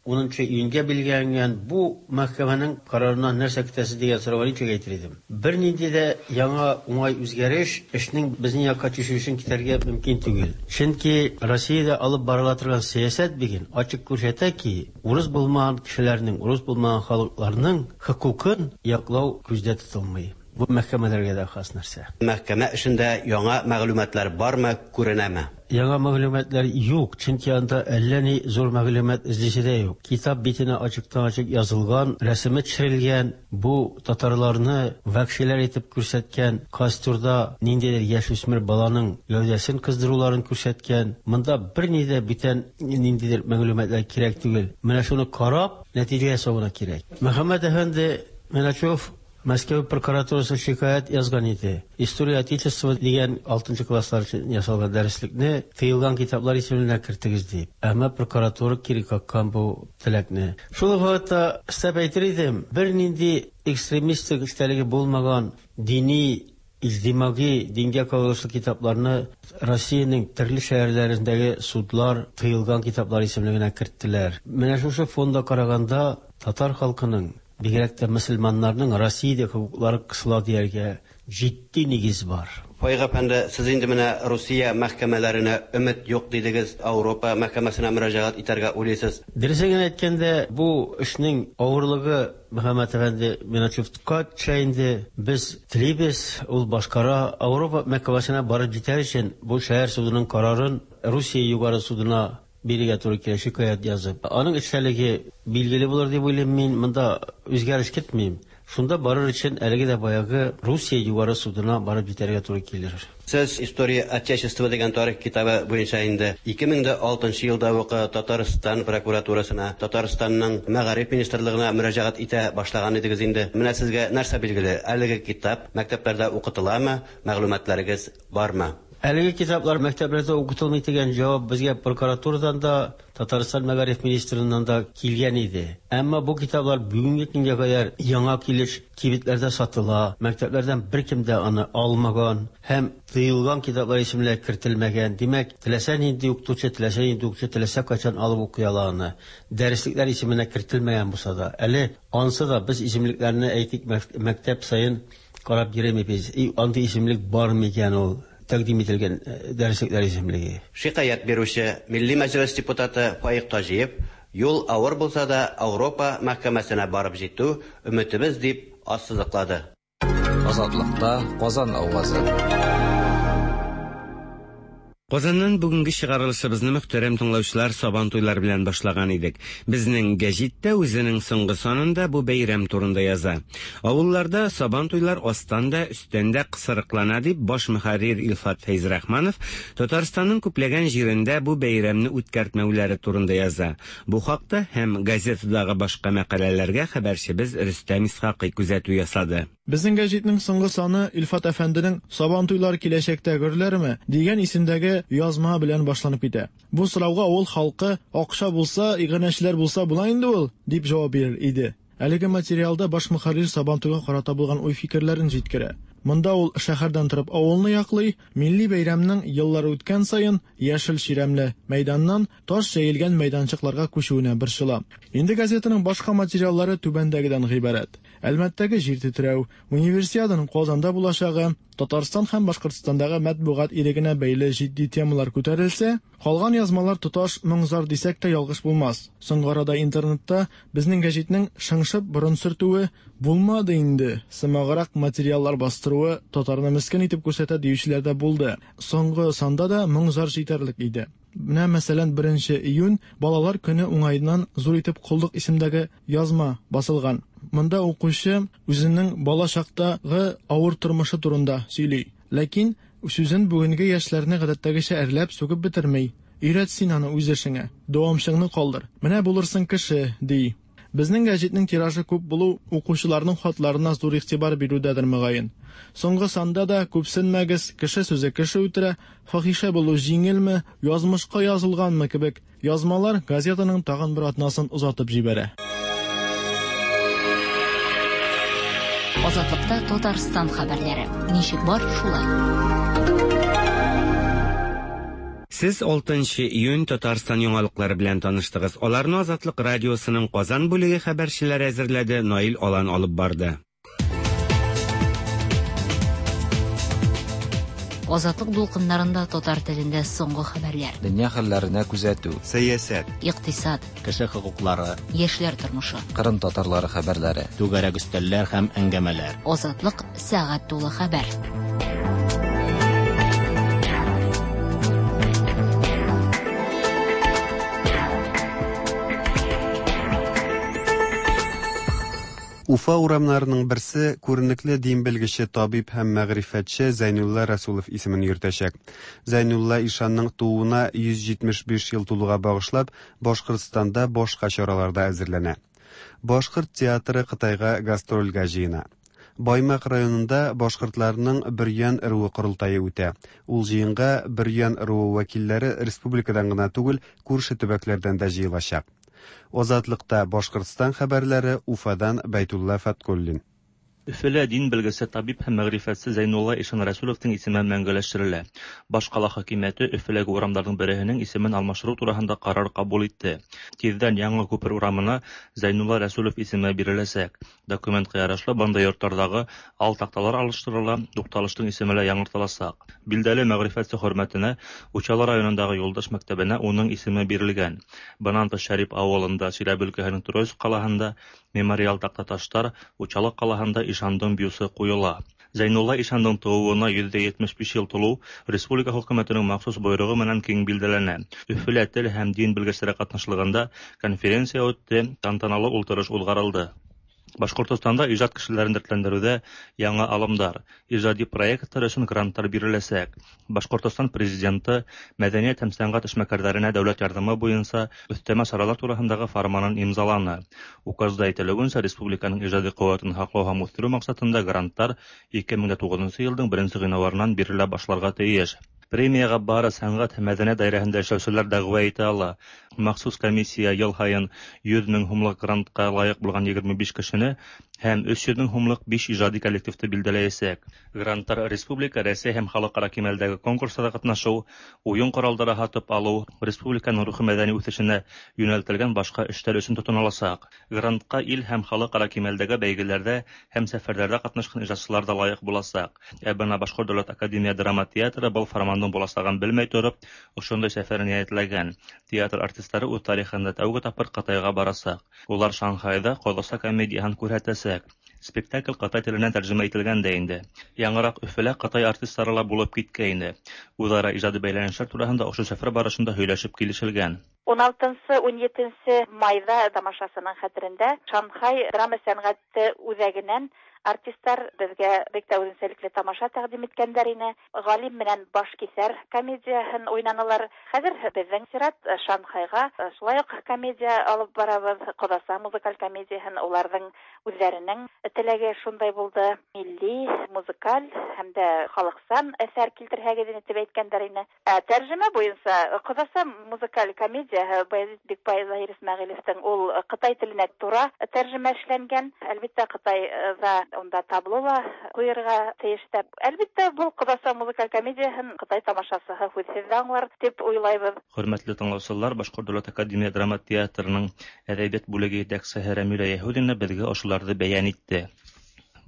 унынчы июньгә билгеләнгән бу мәхкәмәнең карарыннан нәрсә көтәсез дигән сорауга ничек әйтер идем. Бернинди дә яңа уңай үзгәреш эшнең безнең якка чишелешен китәргә мөмкин түгел. Чөнки Россиядә алып барыла торган сәясәт бүген ачык күрсәтә ки, урыс булмаган кешеләрнең, урыс булмаган халыкларның хокукын яклау күздә тотылмый. Бу мәхкәмәләргә дә хас нәрсә. Мәхкәмә эшендә яңа мәгълүматлар бармы, күренәме? Яңа мәгълүматлар юк, чөнки анда әллә ни зур мәгълүмат эзлисе дә юк. Китап битенә ачыктан-ачык язылган, рәсеме төшерелгән, бу татарларны вәхшиләр итеп күрсәткән, костюрда ниндидер яшүсмер баланың гәүдәсен кыздыруларын күрсәткән. Монда берни дә бүтән ниндидер мәгълүматлар кирәк түгел. Менә шуны карап, нәтиҗә ясау гына кирәк. Мөхәммәт әфәнде Миначев Мәскәү прокуратурасы шикаять язган иде. История Отечества дигән 6 класслар өчен ясалган дәреслекне тыелган китаплар исемлегенә кертегез дип. Әмма прокуратура кире каккан бу теләкне. Шул ук вакытта өстәп әйтер идем, бернинди экстремистик эчтәлеге булмаган дини, иҗтимагый, дингә кагылышлы китапларны Россиянең төрле шәһәрләрендәге судлар тыелган китаплар исемлегенә керттеләр. Менә шушы фонда караганда татар халкының, бигрәк тә мөселманнарның Россиядә хокуклары кысыла дияргә җитди нигез бар. Фаик әфәнде, сез инде менә Русия мәхкәмәләренә өмет юк дидегез, Ауропа мәхкәмәсенә мөрәҗәгать итәргә уйлыйсыз. Дөресен генә әйткәндә, бу эшнең авырлыгы Мөхәммәт әфәнде Миначевка төшә инде. Без телибез, ул башкара. Ауропа мәхкәмәсенә барып җитәр өчен бу шәһәр судының карарын Русия югары судына бирергә туры килә, шикаять язып. Аның эчтәлеге билгеле булыр дип уйлыйм мин, монда үзгәреш көтмим. Шунда барыр өчен әлеге дә баягы Русия югары судына барып җитәргә туры килер. Сез История Отечества дигән тарих китабы буенча инде 2006 елда ук Татарстан прокуратурасына, Татарстанның мәгариф министрлыгына мөрәҗәгать итә башлаган идегез инде. Менә сезгә нәрсә билгеле? Әлеге китап мәктәпләрдә укытыламы? Мәгълүматларыгыз бармы? Әлеге китаплар мәктәпләрдә укытылмый дигән җавап безгә прокуратурадан да, Татарстан мәгариф министрыннан да килгән иде. Әмма бу китаплар бүгенге көнгә кадәр яңа килеш кибетләрдә сатыла, мәктәпләрдән беркем дә аны алмаган һәм тыелган китаплар исемлегенә кертелмәгән. Димәк, теләсә нинди укытучы, теләсә нинди укучы теләсә кайчан алып укый ала аны. Дәреслекләр исеменә кертелмәгән булса да. Әле ансы да без исемлекләрне әйтик, мәктәп саен карап йөрмибез. Андый исемлек бар микән ул? тәкъдим ителгән дәреслекләр исемлеге. Шикаять бирүче, Милли Мәҗлес депутаты Фаик Таҗиев, Юл авыр булса да, Ауропа мәхкәмәсенә барып җитү, өметебез, дип ассызыклады. Азатлыкта Казан авазы. Казаннан бүгенге чыгарылышыбызны мөхтәрәм тыңлаучылар Сабантуйлар белән башлаган идек. Безнең гәҗит тә үзенең соңгы санында бу бәйрәм турында яза. Авылларда Сабантуйлар астан да, өстән дә кысрыклана дип баш мөхәррир Илфат Фәйзрахманов Татарстанның күпләгән җирендә бу бәйрәмне үткәртмәүләре турында яза. Бу хакта һәм газетадагы башка мәкаләләргә хәбәрчебез Рөстәм Исхакый күзәтү ясады. Безнең гәҗитнең соңгы саны Илфат әфәнденең Сабантуйлар киләчәктә гөрләрме? дигән исемдәге язма белән башланып китә. Бу сорауга авыл халкы, Акча булса, иганәчеләр булса була инде ул, дип җавап бирер иде. Әлеге материалда баш мөхәррир Сабантуйга карата булган уй-фикерләрен җиткерә. Монда ул шәһәрдән торып авылны яклый, милли бәйрәмнең еллар үткән саен яшел чирәмле мәйданнан таш җәелгән мәйданчыкларга күчүенә борчыла. Инде газетаның башка материаллары түбәндәгедән гыйбарәт. Әлмәттәге җир тетрәү, Универсиаданың Казанда булачагы, Татарстан һәм Башкортстандагы матбугат ирегенә бәйле җитди темалар күтәрелсә, калган язмалар тоташ моң-зар дисәк тә ялгыш булмас. Соңгы арада интернетта Безнең гәҗитнең шыңшып борын сөртүе, булмады инде, сымаграк материаллар бастыруы татарны мескен итеп күрсәтә диючеләр дә булды. Соңгы санда да моң-зар җитәрлек иде. Менә, мәсәлән, беренче июнь, Балалар көне уңаеннан зур итеп Коллык исемдәге язма басылган. Монда укучы үзенең бала чактагы авыр тормышы турында сөйли. Ләкин сүзен бүгенге яшьләрне гадәттәгечә әрләп, сүгеп бетерми. Өйрәт син аны үз эшеңә, дәвамчыңны калдыр. Менә булырсың кеше, ди. Безнең гәҗитнең тиражы күп булу укучыларның хатларына зур игътибар бирүдәдер, мөгаен. Соңгы санда да, Күпсенмәгез, кеше сүзе кеше үтерә, Фахишә булу җиңелме, язмышка язылганмы кебек язмалар газетаның тагын бер атнасын озатып җибәрә. Азатлыкта Татарстан хәбәрләре. Ничек бар, шулай. Сез 6 нчы июнь Татарстан яңалыклары белән таныштыгыз. Аларны Азатлык радиосының Казан бүлеге хәбәрчеләре әзерләде, Наил Алан алып барды. Азатлык дулкыннарында татар телендә соңгы хәбәрләр. Дөнья хәлләренә күзәтү. Сәясәт. Икътисад. Кеше хокуклары. Яшьләр тормышы. Кырым татарлары хәбәрләре. Түгәрәк өстәлләр һәм әңгәмәләр. Азатлык сәгать тулы хәбәр. Уфа урамнарының берсе күренекле дин белгече, табиб һәм мәгърифәтче Зәйнулла Рәсулов исемен йөртәчәк. Зәйнулла ишанның тууына 175 ел тулуга багышлап, Башкортстанда башка чаралар да әзерләнә. Башкорт театры Кытайга гастрольгә җыена. Баймак районында башкортларның Бөрьян ыруы корылтае үтә. Ул җыенга Бөрьян ыруы вәкилләре республикадан гына түгел, күрше төбәкләрдән дә җыелачак. Азатлыкта Башкортстан хәбәрләре, Уфадан Бәйтулла Фәткуллин. Өфелә дин белгесе, табиб һәм мәгърифәтче Зәйнулла ишан Рәсүловтың исеме мәңгеләштерелә. Башкала хакимияте Өфеләге урамнарның береһенең исемен алмаштыру тураһында карар кабул итте. Тиздән Яңа күпер урамына Зәйнулла Рәсүлов исеме биреләчәк. Документка ярашлы, банда йортлардагы ал такталар алыштырыла, тукталышның исеме лә яңартылачак. Билдәле мәгърифәтче хөрмәтенә Учалы районындагы Юлдаш мәктәбенә уның исеме бирелгән. Быннан тыш Шәрип авылында, Чиләбе өлкәһенең Троицк калаһында Мемориал тактаташтар Учалы калаһында ишандың бюсы куела. Зәйнулла ишандың тууына 175 ел тулу республика хөкүмәтенең махсус бойрыгы менән киң билдәләнә. Өфелә тел һәм дин белгечләре катнашлыгында конференция үтте, тантаналы ултырыш узгарылды. Башкортостанда иҗат кешеләрен дәртләндерүдә яңа алымдар, иҗади проектлар өчен грантлар биреләчәк. Башкортостан Президенты мәдәният һәм сәнгать эшмәкәрләренә дәүләт ярдәме буенча өстәмә чаралар тураһындагы фарманын имзаланы. Указда әйтелүенчә, республиканың иҗади куәтен һаклау һәм үстерү максатында грантлар 2009 елның беренче гыйнварыннан бирелә башларга тиеш. Премиягә бары сәнгать һәм мәдәният даирәһендә эшләүчеләр дәгъва итә ала. Махсус комиссия ел һаен 100 мең һумлык грантка лаек булган 25 кешене һәм 300 мең һумлык биш ижади коллективты билдәләйәсәк. Гранттар республика, Рәсәй һәм халыкара кимәлдәге конкурсларда катнашу, уен коралдары һатып алу, республиканың рухи-мәдәни үҫешенә йүнәлтелгән башҡа эштәр өсөн тотоноласаҡ. Грантҡа ил һәм халыкара кимәлдәге бәйгеләрҙә һәм сәфәрҙәрҙә ҡатнашҡан ижадсылар ҙа лайыҡ буласаҡ. Ә бына Башҡорт дәүләт академия драма театры был фармандың буласағын белмәй тороп, ошондай сәфәрен ниәтләгән. Театр артистары үҙ тарихында тәүге тапҡыр Ҡытайға барасаҡ. Улар Шанхайҙа «Ҡоҙаса» комедияһын күрһәтәсәк. Спектакль ҡытай теленән тәржемә ителгән дә инде. Яңыраҡ Өфөлә ҡытай артистары ла булып киткәйне. Үҙ-ара ижади бәйләнештәр тураһында ошо сәфәр барышында һөйләшеп килешелгән. 16-17 майҙа тамашасының хәтерендә Шанхай драма сәнғәте үҙәгенән артисттар беҙгә бик тә үҙенсәлекле тамаша тәҡдим иткәндәр ине. Ғалим менән Башкиҫәр комедияһын уйнанылар. Хәҙер беҙҙең сират Шанхайға шулай уҡ комедия алып барабыҙ. Ҡоҙаса музыкаль комедияһын уларҙың үҙҙәренең теләге шундай булды. Милли, музыкаль һәм дә халыҡсан әҫәр килтерһәгеҙ ине тип әйткәндәр ине. Ә тәржемә буйынса Ҡоҙаса музыкаль комедияһы Баязит Бикбай Заһир Исмәғилевтең ул ҡытай теленә тура тәржемә эшләнгән. Әлбиттә, Ҡытайҙа унда табло ла ҡуйырға тейеш тә. Әлбиттә, был Ҡоҙаса музыкаль комедияһын ҡытай тамашасыһы һүҙһеҙ ҙә аңлар тип уйлайбыҙ. Хөрмәтле тыңлаусылар, Башҡорт дәүләт академия драма театрының әҙәбиәт бүлеге етәксеһе Рәмилә Йәһүҙина беҙгә ошоларҙы бәйән итте.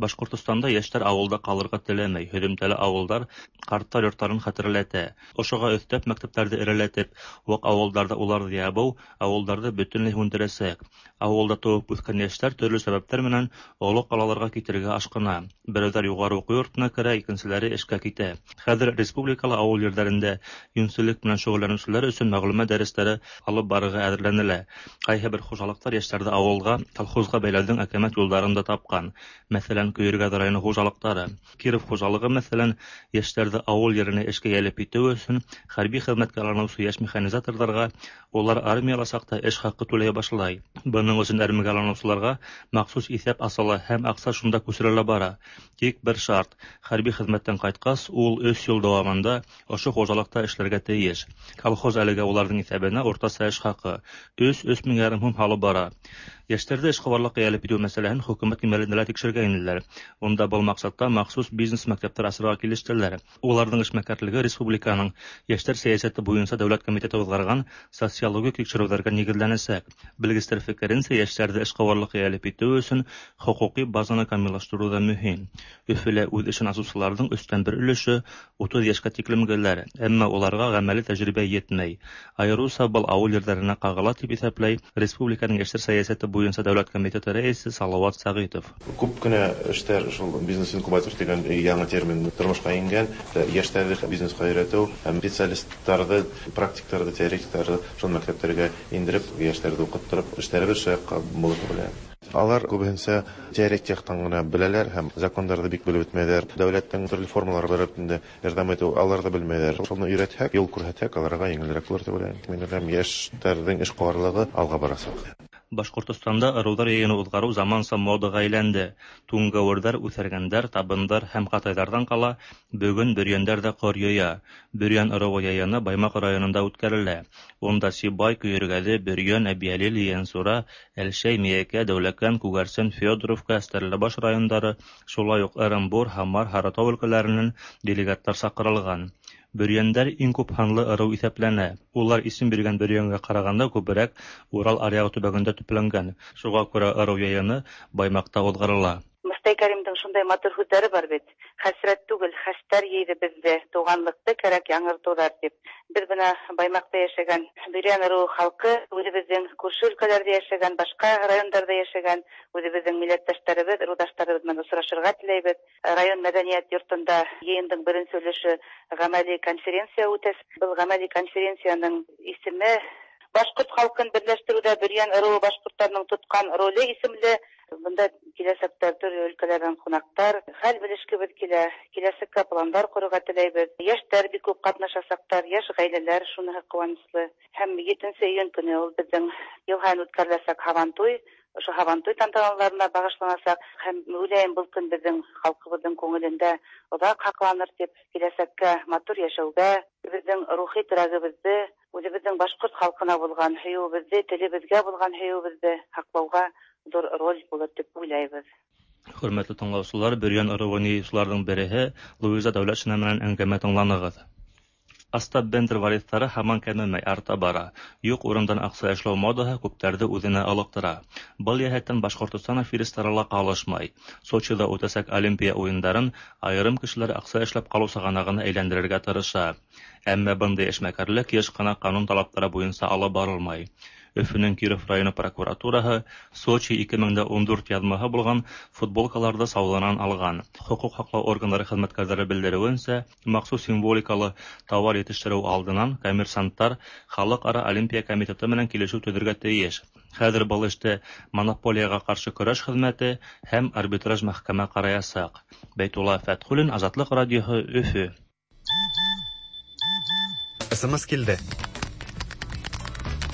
Башҡортостанда йәштәр ауылда ҡалырға теләмәй, һөҙөмтәле ауылдар ҡарттар йорттарын хәтерләтә. Ошоға өҫтәп мәктәптәрҙе эреләтеп, ваҡ ауылдарҙа уларҙы ябыу ауылдарҙы бөтөнләй һүндерәсәк. Ауылда тыуып үҫкән йәштәр төрлө сәбәптәр менән оло ҡалаларға китергә ашҡына. Берәүҙәр юғары уҡыу йортона керә, икенселәре эшкә китә. Хәҙер республикала ауыл ерҙәрендә йүнселлек менән шөғөлләнеүселәр өсөн мәғлүмәт дәрестәре алып барырға әҙерләнелә. Ҡайһы бер хужалыҡтар йәштәрҙе ауылға, колхозға бәйләүҙең әкәмәт юлдарын да тапҡан. Мәҫәлән, Көйөргәҙ районы хужалыҡтары. Киров хужалығы, мәҫәлән, йәштәрҙе ауыл еренә эшкә йәлеп итеү өсөн хәрби хеҙмәткә алыныусы йәш механизаторҙарға улар армияла саҡта эш хаҡы түләй башлай. Бының өсөн әрмегә алыныусыларға махсус иҫәп асыла һәм аҡса шунда күсерелә бара. Тик бер шарт: хәрби хеҙмәттән ҡайтҡас, ул 3 йыл дауамында ошо хужалыҡта эшләргә тейеш. Колхоз әлегә уларҙың иҫәбенә уртаса эш хаҡы 3-3,5 мең һум һалып бара. Йәштәрҙе эшҡыуарлыҡҡа йәлеп итеү мәсьәләһен хөкүмәт кимәлендә лә тикшергәйнеләр. Унда был маҡсатта махсус бизнес мәктәптәр асырға килештеләр. Уларҙың эшмәкәрлеге республиканың йәштәр сәйәсәте буйынса дәүләт комитеты уҙғарған социологик тикшереүҙәргә нигеҙләнәсәк. Белгестәр фекеренсә, йәштәрҙе эшҡыуарлыҡҡа йәлеп итеү өсөн хоҡуҡи базаны камиллаштырыу ҙа мөһим. Өфөлә үҙ эшен асыусыларҙың 1/3 өлөшө 30 йәшкә тиклемгеләр, әммә уларға ғәмәли тәжрибә етмәй. Айырыуса был ауыл ерҙәренә ҡағыла, тип иҫәпләй республиканың йәштәр сәйәсәте буйынса дәүләт комитеты рәйесе Салауат Сәғитов. Күп кенә эштәр шул бизнес-инкубатор тигән яңы термин тормошҡа ингән. Йәштәрҙе бизнесҡа өйрәтеү һәм специалисттарҙы, практиктарҙы, теоретиктарҙы шул мәктәптәргә индереп, йәштәрҙе уҡыттырып, эштәребеҙ шул яҡҡа булыр тип уйлайым. Алар күбеһенсә теоретик яҡтан ғына беләләр һәм закондарҙы бик белеп бөтмәйҙәр. Дәүләттең төрлө формалары бар инде, ярҙам итеү алар ҙа белмәйҙәр. Шуны өйрәтһәк, юл күрһәтһәк, аларға еңелерәк булыр тип уйлайым. Мин уйлайым, йәштәрҙең эшҡыуарлығы алға барасаҡ. Башҡортостанда ырыуҙар йыйыны уҙғарыу заманса модаға әйләнде. Туңгәүерҙәр, үҫәргәндәр, табындар һәм ҡатайҙарҙан ҡала бөгөн бөрйәндәр дә ҡор йыя. Бөрйән ырыуы йыйыны Баймаҡ районында үткәрелә. Унда Сибай, Көйөргәҙе, Бөрйән, Әбйәлил, Ейәнсура, Әлшәй, Миәкә, Дәүләкән, Күгәрсен, Федоровка, Стәрлебаш райондары, шулай уҡ Ырымбур, Һамар, Һарытау өлкәләренән делегаттар саҡырылған. Бөрйәндәр иң күп һанлы ырыу иҫәпләнә. Улар исем биргән бөрйәнгә ҡарағанда күберәк Урал аръяғы төбәгендә төпләнгән. Шуға күрә ырыу йыйыны Баймаҡта уҙғарыла. Мостай Кәримдең шундай матур һүҙҙәре бар бит. Хәсрәт түгел, хәстәр йыйҙы беҙҙе, туғанлыҡты кәрәк яңыртыуҙар тип. Беҙ бына Баймаҡта йәшәгән Бөрйән ырыуы халҡы, үҙебеҙҙең күрше өлкәләрҙә йәшәгән, башҡа райондарҙа йәшәгән үҙебеҙҙең милләттәштәребеҙ, ырыуҙаштарыбыҙ менән осрашырға теләйбеҙ. Район мәҙәниәт йортонда йыйындың беренсе өлөшө ғәмәли конференция үтә. Был ғәмәли конференцияның исеме Башҡорт халҡын берләштереүҙә Бөрйән ырыуы башҡорттарының тотҡан роле исемле. Бында киләсәктә төрлө өлкәләрҙән ҡунаҡтар, хәл белешкебеҙ килә, киләсәккә пландар ҡорорға теләйбеҙ. Йәштәр бик күп ҡатнашасаҡтар, йәш ғаиләләр, шуныһы ҡыуаныслы. Һәм 7 июнь көнө ул беҙҙең йыл һайын үткәреләсәк һабантуй, ошо һабантуй тантаналарына бағышланасаҡ. Һәм уйлайым, был көн беҙҙең халҡыбыҙҙың күңелендә оҙаҡ һаҡланыр тип, киләсәккә матур йәшәүгә, беҙҙең рухи терәгебеҙҙе, үҙебеҙҙең башҡорт халҡына булған һөйөүебеҙҙе, телебеҙгә булған һөйөүебеҙҙе һаҡлауға ҙур роль булыр тип уйлайбыҙ. Хөрмәтле тыңлаучылар, Бөрьян ыруын йыючыларның береһе Луиза Дәүләтшина менән әңгәмә тыңланыгыз. Остап Бендер варислары һаман кәмемәй, арта бара. Юк урындан акча эшләү модаһы күпләрде үзенә ылыктыра. Был йәһәттән Башкортостан аферистлары ла калышмай. Сочида үтәсәк Олимпия уеннарын аерым кешеләр акча эшләп калу чыганагына әйләндерергә тырыша. Әмма бындый эшмәкәрлек еш кына канун талаплары буенча алып барылмай. Өфөнең Киров районы прокуратураһы Сочи 2014 язмаһы булган футболкаларны сауданан алган. Хокук һаклау органнары хезмәткәрләре белдерүенчә, махсус символикалы товар җитештерү алдыннан коммерсантлар Халыкара Олимпия комитеты белән килешү төзергә тиеш. Хәзер был эште монополиягә каршы көрәш хезмәте һәм арбитраж мәхкәмә караячак. Бәйтулла Фәтхуллин, Азатлык радиоһы, Өфө. СМС килде.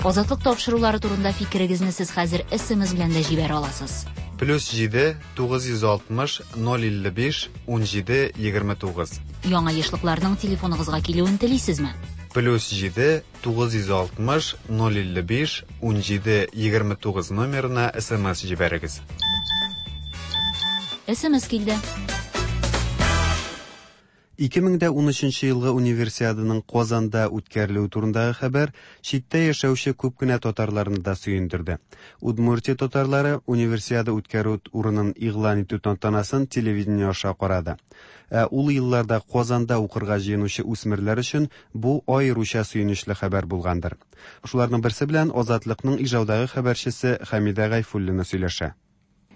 Азатлык тапшырулары турында фикерегезне сез хәзер СМС белән дә җибәрә аласыз. Плюс 7 960 055 17 29. Яңа ешлыкларның телефоныгызга килүен телисезме? Плюс 7 960 055 17 29 номерына СМС җибәрегез. СМС килде. 2013 елгы Универсиаданың Казанда үткәрелүе турындагы хәбәр читтә яшәүче күп кенә татарларны да сөендерде. Удмуртия татарлары Универсиада үткәрү урынын игълан итү тантанасын телевидение аша карады. Ә ул елларда Казанда укырга җыенучы үсмерләр өчен бу аеруча сөенечле хәбәр булгандыр. Шуларның берсе белән Азатлыкның Ижаудагы хәбәрчесе Хәмидә Гайфуллина сөйләшә.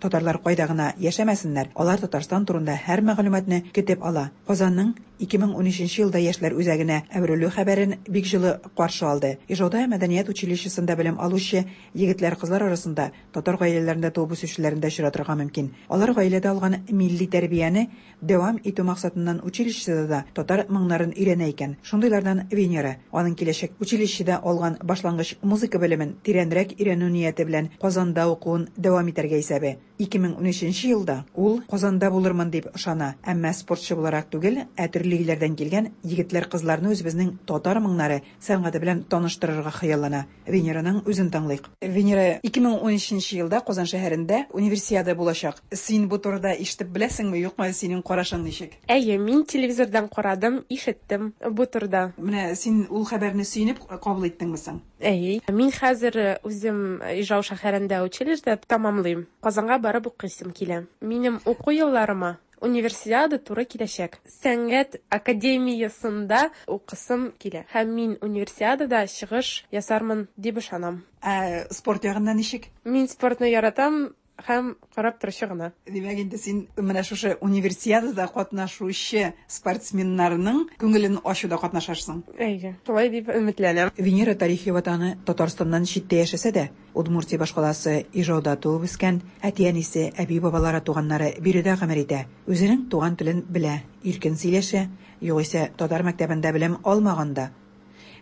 Татарлар кайда гына яшәмәсеннәр, алар Татарстан турында һәр мәгълүматны көтеп ала. Казанның 2013 елда яшьләр үзәгенә әверелү хәбәрен бик җылы каршы алды. Ижауда мәдәният училищесында белем алучы егетләр-кызлар арасында татар гаиләләрендә туып үсүчеләрен дә очратырга мөмкин. Алар гаиләдә алган милли тәрбияне дәвам итү максатыннан училищеда да татар моңнарын өйрәнә икән. Шундыйлардан Венера. Аның киләчәк училищеда алган башлангыч музыка белемен тирәнрәк өйрәнү нияте белән Казанда укуын дәвам итәргә исәбе. 2013 елда ул Казанда булырмын дип ышана, әмма спортчы буларак түгел, ә төрле илләрдән килгән егетләр-кызларны үзебезнең татар моңнары сәнгате белән таныштырырга хыяллана. Венераның үзен тыңлыйк. Венера, 2013 елда Казан шәһәрендә Универсиада булачак. Син бу турыда ишетеп беләсеңме, юкмы, синең карашың ничек? Әйе, мин телевизордан карадым, ишеттем бу турыда. Менә син ул хәбәрне сөенеп кабул иттеңме соң? Әйе, мин хәзер үзем Ижау шәһәрендә училище тәмамлыйм. Казанга барып укыйсым килә. Минем уку елларыма Универсиада туры киләчәк. Сәнгать академиясендә укысым килә. Һәм мин Универсиадада чыгыш ясармын дип ышанам. Ә спорт ягыннан ничек? Мин спортны яратам һәм карап торучы гына. Димәк, инде син менә шушы Универсиадада катнашучы спортсменнарның күңелен ачуда катнашарсың. Әйе, шулай дип өметләнәм. Венера тарихи ватаны Татарстаннан читтә яшәсә дә, Удмуртия башкаласы Ижауда туып үскән, әти-әнисе, әби-бабалары, туганнары биредә гомер итә. Үзенең туган телен белә, иркен сөйләшә, югыйсә татар мәктәбендә белем алмаган да.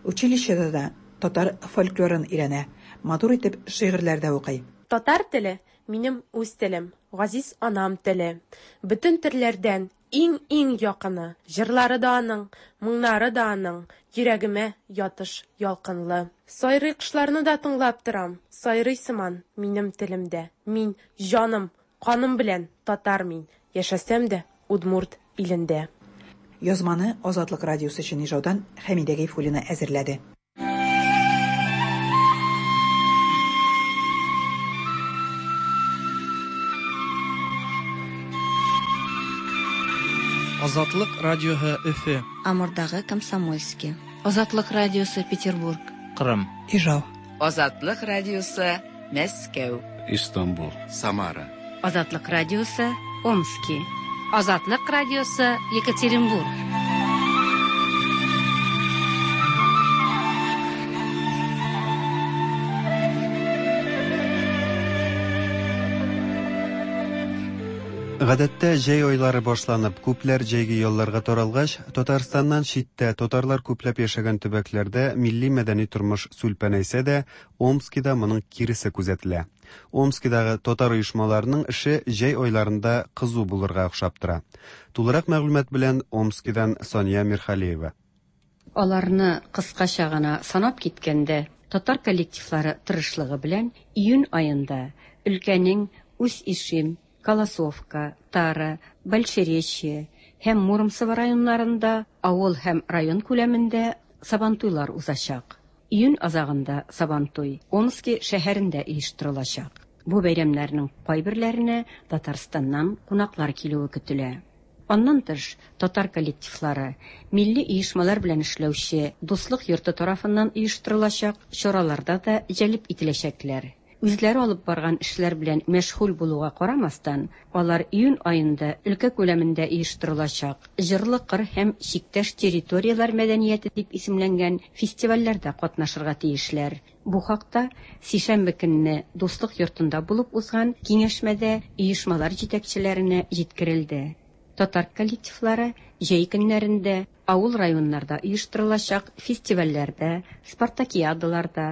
Училищеда да татар фольклорын өйрәнә, матур итеп шигырьләр дә укый. Татар теле, минем үз телем, газиз анам теле. Бөтен телләрдән иң-иң якыны. Җырлары да аның, моңнары да аның, йөрәгемә ятыш ялкынлы. Сайрый кошларны да тыңлап торам, сайрый сыман минем телемдә. Мин җаным, каным белән татар мин, яшәсәм дә удмурт илендә. Язманы Азатлык радиосы өчен Ижаудан Хәмидә Гайфуллина әзерләде. Азатлык радиоһы Өфе. Амурдагы Комсомольский. Азатлык радиосы Петербург. Кырым. Ижау. Азатлык радиосы Мәскәү. Истанбул. Самара. Азатлык радиосы Омски. Азатлык радиосы Екатеринбург. Гадәттә җәй айлары башланып, күпләр җәйге ялларга таралгач, Татарстаннан читтә татарлар күпләп яшәгән төбәкләрдә милли мәдәни тормыш сүлпәнәйсә дә, Омскида моның киресе күзәтелә. Омскидагы татар оешмаларының эше җәй айларында кызу булырга охшап тора. Тулырак мәгълүмат белән Омскидан Сания Мирхалиева. Аларны кыскача гына санап киткәндә, татар коллективлары тырышлыгы белән июнь аенда өлкәнең Усть-Ишим, Колосовка, Тара, Большеречье һәм Муромцево районнарында авыл һәм район күләмендә Сабантуйлар узачак. Июнь азагында Сабантуй Омски шәһәрендә оештырылачак. Бу бәйрәмнәрнең кайберләренә Татарстаннан кунаклар килүе көтелә. Аннан тыш, татар коллективлары, милли оешмалар белән эшләүче Дуслык йорты тарафыннан оештырылачак чараларда да җәлеп ителәчәкләр. Үзләре алып барган эшләр белән мәшгуль булуга карамастан, алар июнь аенда өлкә күләмендә оештырылачак Җырлы кыр һәм Чиктәш территорияләр мәдәнияте дип исемләнгән фестивальләрдә катнашырга тиешләр. Бу хакта сишәмбе көнне Дуслык йортында булып узган киңәшмәдә оешмалар җитәкчеләренә җиткерелде. Татар коллективлары җәй көннәрендә авыл-районнарда оештырылачак фестивальләрдә, спартакиадаларда,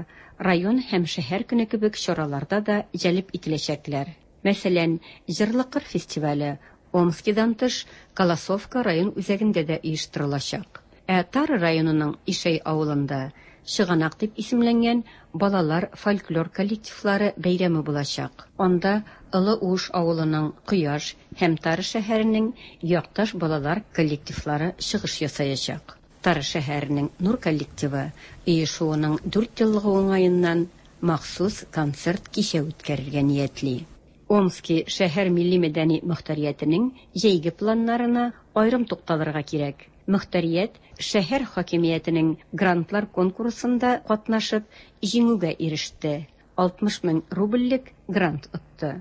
район һәм шәһәр көне кебек чараларда да җәлеп ителәчәкләр. Мәсәлән, Җырлы кыр фестивале Омскидан тыш Колосовка район үзәгендә дә оештырылачак. Ә Тара районының Ишәй авылында Чыганак дип исемләнгән балалар фольклор коллективлары бәйрәме булачак. Анда Олы Уыш авылының Кояш һәм Тара шәһәренең Якташ балалар коллективлары чыгыш ясаячак. Тара шәһәренең Нур коллективы оешуының дүрт еллыгы уңаеннан махсус концерт-кичә үткәрергә ниятли. Омски шәһәр милли-мәдәни мохтариятенең җәйге планнарына аерым тукталырга кирәк. Мохтарият шәһәр хакимиятенең грантлар конкурсында катнашып, җиңүгә иреште, 60 мең рубльлек грант отты.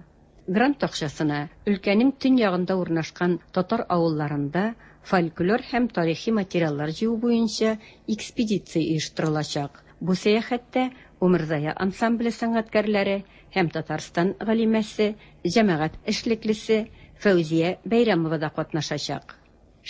Грант акчасына өлкәнең төньягында урнашкан татар авылларында фольклор һәм тарихи материаллар җыю буенча экспедиция оештырылачак. Бу сәяхәттә Умырзая ансамбле сәнгатькәрләре һәм Татарстан галимәсе, җәмәгать эшлеклесе Фәүзия Бәйрәмова да катнашачак.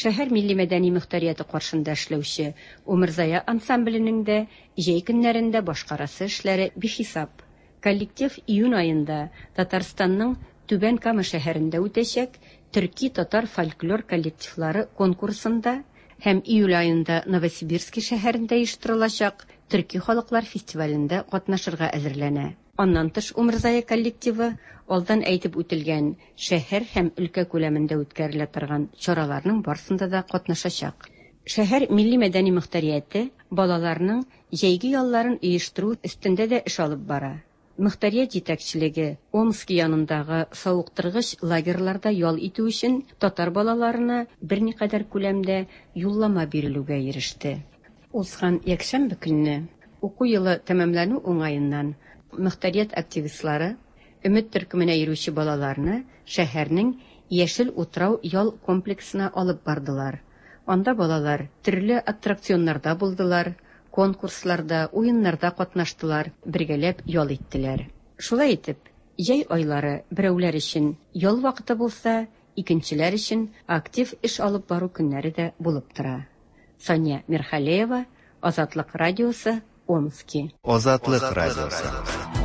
Шәһәр милли-мәдәни мохтарияте каршында эшләүче Умырзая ансамбленең дә җәй көннәрендә башкарасы эшләре бихисап. Коллектив июнь аенда Татарстанның Түбән Кама шәһәрендә үтәчәк төрки-татар фольклор коллективлары конкурсында һәм июль аенда Новосибирски шәһәрендә оештырылачак төрки халыклар фестивалендә катнашырга әзерләнә. Аннан тыш Умырзая коллективы алдан әйтеп үтелгән шәһәр һәм өлкә күләмендә үткәрелә торган чараларның барсында да катнашачак. Шәһәр милли-мәдәни мохтарияте балаларның җәйге ялларын оештыру өстендә дә эш алып бара. Мохтарият җитәкчелеге Омски янындагы савыктыргыч лагерьларда ял итү өчен татар балаларына берникадәр күләмдә юллама бирелүгә иреште. Узган якшәмбе көнне, уку елы тәмамлану уңаеннан, мохтарият активистлары Өмет төркеменә йөрүче балаларны шәһәрнең Яшел утрау ял комплексына алып бардылар. Анда балалар төрле аттракционнарда булдылар, конкурсларда, уеннарда катнаштылар, бергәләп ял иттеләр. Шулай итеп, җәй айлары берәүләр өчен ял вакыты булса, икенчеләр өчен актив эш алып бару көннәре дә булып тора. Сания Мирхалеева, Азатлык радиосы, Омски. Азатлык радиосы.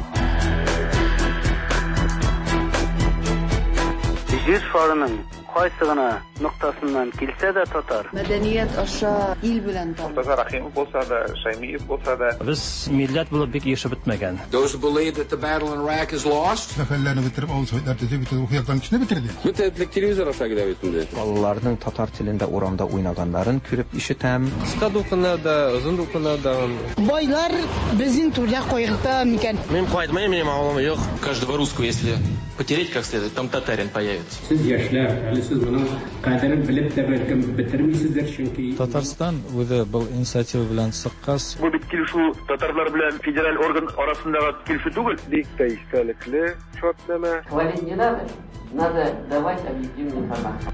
Җир шарының кайсы гына ноктасыннан килсә дә татар. Мәдәният аша ил белән таныш. Мортаза Рәхимов булса да, Шәймиев булса да. Без милләт булып бик ирешеп бетмәгән. Those who believe that the battle in Iraq is lost. Сәфәрләрне бетереп, авыл советлар төзеп, бөтен уку йортларын кешене бетерде. Бөтен телевизор аша килә бит инде. Балаларның татар телендә урамда уйнаганнарын күреп ишетәм. Кыска дулкыннар да, озын дулкыннар да. Байлар безнең түрдә кайгырта микән? Мин кайтмыйм, минем авылым юк. Каждого русского, если потереть как следует, там татарин появится. Сез яшьләр, әле сез моның кадерен белеп тә бәлкем бетермисездер, чөнки Татарстан үзе был инициатива белән чыккач. Бу бит килешү татарлар белән федераль орган арасындагы килешү түгел. Бик тә истәлекле шартнамә. Хвалить не надо, надо давать объективную информацию.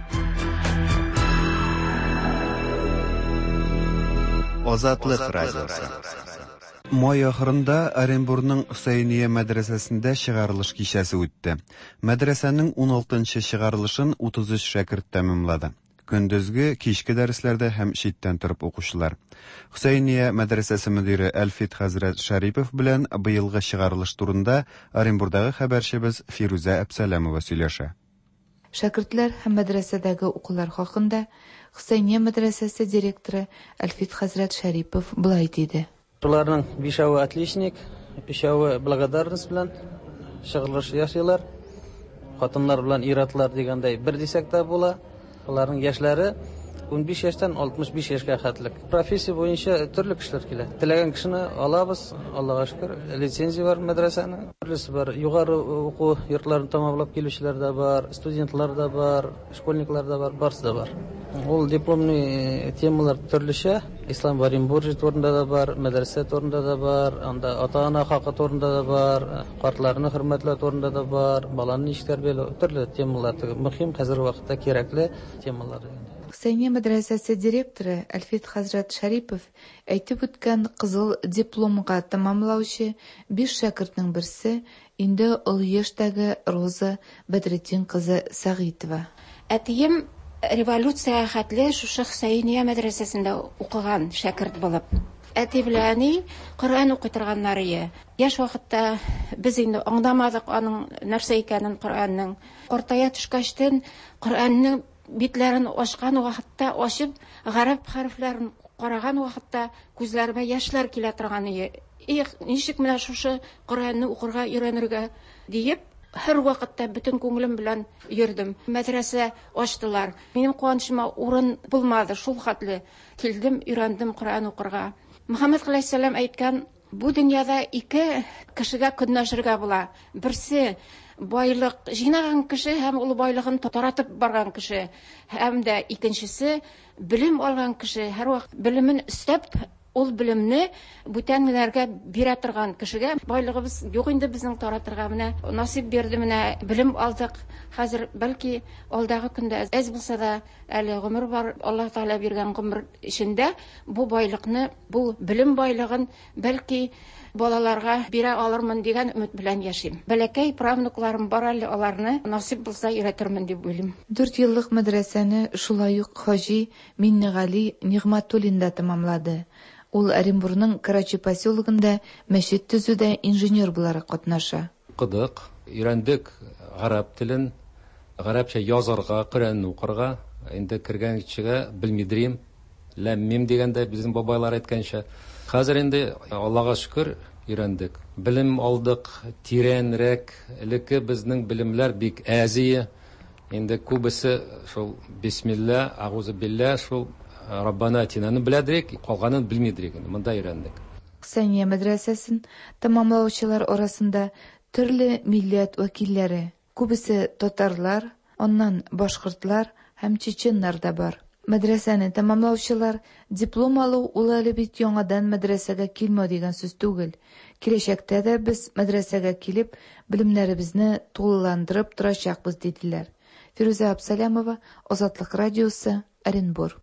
Азатлык радиосы. Май ахырында Оренбурның Хөсәения мәдрәсәсендә чыгарылыш кичәсе үтте. Мәдрәсәнең 16 нчы чыгарылышын 33 шәкерт тәмамлады. Көндезге, кичке дәресләрдә һәм читтән торып укучылар. Хөсәения мәдрәсәсе мөдире Әлфит хәзрәт Шәрипов белән быелгы чыгарылыш турында Оренбурдагы хәбәрчебез Фирүзә Әпсәләмова сөйләшә. Шәкертләр һәм мәдрәсәдәге укулар хакында Хөсәения мәдрәсәсе директоры Әлфит хәзрәт Шәрипов болай диде. Шуларның бишәве отличник, өчәве благодарность белән чыгылыш ясыйлар. Хатыннар белән ир-атлар дигәндәй бер дисәк тә була. Аларның яшьләре 15 яшьтән 65 яшькә хәтлек. Профессия буенча төрле кешеләр килә. Теләгән кешене алабыз, Аллага шөкер, лицензия бар мәдрәсәнең. Төрлесе бар. Югары уку йортларын тәмамлап килүчеләр дә бар, студентлар да бар, школьниклар да бар, барысы да бар. Ул дипломный темалар төрлечә. Ислам в Оренбурге турында да бар, мәдрәсә турында да бар, анда ата-ана хакы турында да бар, картларны хөрмәтләү турында да бар, баланы ничек тәрбияләү, төрле темалар. Мөһим, хәзерге вакытта кирәкле темалар. Хөсәения мәдрәсәсе директоры Әлфит хәзрәт Шәрипов әйтеп үткән кызыл дипломга тәмамлаучы биш шәкертнең берсе инде олы яшьтәге Роза Бәдретдин кызы Сәгыйтова. Әтием революциягә хәтле шушы Хөсәения мәдрәсәсендә укыган шәкерт булып. Әти белән әни Коръән укый торганнар ие. Яшь вакытта без инде аңламадык аның нәрсә икәнен Коръәннең. Картая төшкәчтен Коръәннең битләрен ачкан вакытта, ачып, гарәп хәрефләрен караган вакытта күзләремә яшьләр килә торган ие. Их, ничек менә шушы Коръәнне укырга өйрәнергә диеп, һәрвакытта бөтен күңелем белән йөрдем. Мәдрәсә ачтылар. Минем куанычыма урын булмады, шул хәтле килдем, өйрәндем Коръән укырга. Мөхәммәд галәйһиссәлам әйткән, бу дөньяда ике кешегә көнләшергә була. Берсе байлык җыйнаган кеше һәм ул байлыгын таратып барган кеше. Һәм дә икенчесе белем алган кеше, һәрвакыт белемен өстәп, ул белемне бүтәннәргә бирә торган кешегә. Байлыгыбыз юк инде безнең таратырга, менә насыйп бирде, менә белем алдык. Хәзер бәлки алдагы көндә әз булса да әле гомер бар, Аллаһ Тәгалә биргән гомер эчендә бу байлыкны, бу белем байлыгын бәлки балаларга бирә алырмын дигән өмет белән яшим. Бәләкәй правнукларым бар әле, аларны насыйп булса өйрәтермен дип уйлыйм. Дүрт еллык мәдрәсәне шулай ук хаҗи Миннегали Нигъмәтуллин да тәмамлады. Ул Оренбурның Карачи поселогында мәчет төзүдә инженер буларак катнаша. Укыдык, өйрәндек гарәп телен, гарәпчә язарга, Коръәнне укырга. Инде кергән кешегә белмидрим, ләм-мим дигәндәй, безнең бабайлар әйткәнчә. Хәзер инде, Аллага шөкер, өйрәндек. Белем алдык, тирәнрәк. Элекке безнең белемнәр бик әз ие. Инде күбесе шул бисмилла, агузы биллә, шул Раббана атинаны беләдерик, калганын белмидерик инде, монда өйрәндек. Сания мәдрәсәсен тәмамлаучылар арасында төрле милләт вәкилләре, күбесе татарлар, аннан башкортлар һәм чеченнар да бар. Мәдрәсәне тәмамлаучылар диплом алу ул әле бит яңадан мәдрәсәгә килмәү дигән сүз түгел. Киләчәктә дә без мәдрәсәгә килеп, белемнәребезне тулыландырып торачакбыз, диделәр. Фирүзә Абсалямова, Азатлык радиосы, Оренбур.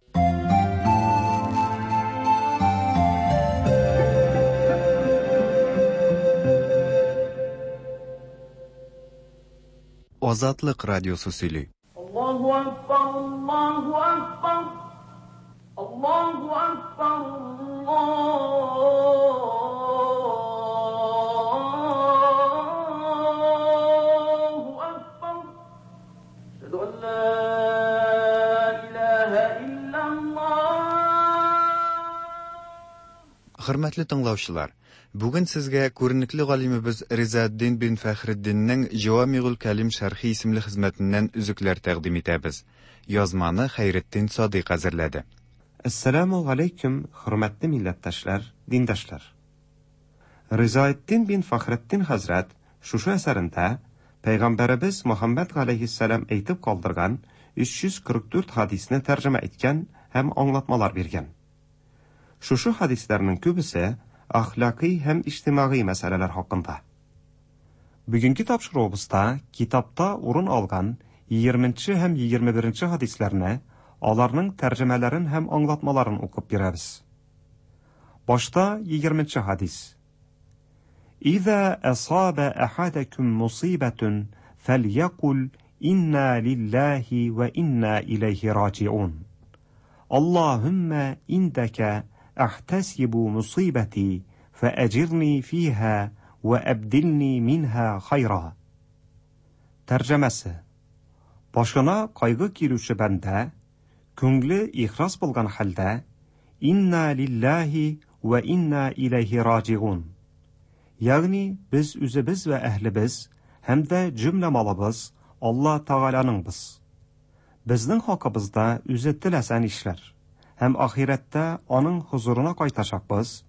Азатлык радиосы сөйли. Аллаһу акбар, Аллаһу акбар, Аллаһу акбар, Аллаһу акбар. Әшһәду ан ла илаһа иллаллаһ. Хөрмәтле тыңлаучылар, бүген сезгә күренекле галимебез Ризаэддин бин Фәхретдиннең Җавамигуль Кәлим шәрхи исемле хезмәтеннән өзекләр тәкъдим итәбез. Язманы Хәйретдин Садыйк әзерләде. Әссәләмү галәйкүм, хөрмәтле милләттәшләр, диндәшләр! Ризаэддин бин Фәхретдин хәзрәт шушы әсәрендә Пәйгамбәребез Мөхәммәд галәйһиссәлам әйтеп калдырган 344 хәдисне тәрҗемә иткән һәм аңлатмалар биргән. Шушы хәдисләрнең күбесе әхлакый һәм иҗтимагый мәсьәләләр хакында. Бүгенге тапшыруыбызда китапта урын алган егерменче һәм егерме беренче хәдисләрне, аларның тәрҗемәләрен һәм аңлатмаларын укып бирәбез. Башта егерменче хәдис. Иза асаба ахадакум мусибатун фәльякул инна лиллаһи ва инна иләйһи раҗиун. Аллаһумма индәкә әхтәсибу мусибати фәәҗирни фиһа вә әбдилни минһа хайра. Тәрҗемәсе. Башына кайгы килүче бәндә, күңле ихлас булган хәлдә, Инна лиллаһи вә инна иләйһи раҗигун. Ягъни без үзебез вә әһлебез һәм дә җөмлә малыбыз Алла Тәгаләнеңбез. Безнең хакыбызда үзе теләсә нишләр һәм ахирәттә аның хозурына кайтачакбыз.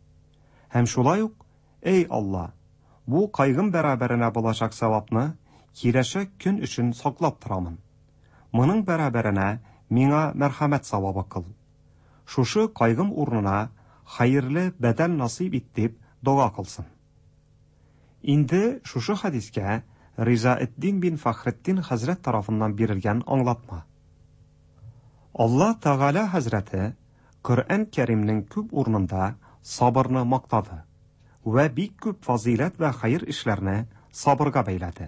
Һәм шулай ук, эй Алла, бу кайгым бәрабәренә булачак савапны киләчәк көн өчен саклап торамын. Моның бәрабәренә миңа мәрхәмәт савабы кыл. Шушы кайгым урынына хәерле бәдәл насыйп ит дип дога кылсын. Инде шушы хәдискә Ризаэддин бин Фәхретдин хәзрәт тарафыннан бирелгән аңлатма. Алла Тәгалә хәзрәте Коръән Кәримнең күп урынында сабырны мактады вә бик күп фазыйләт вә хәер эшләрне сабырга бәйләде.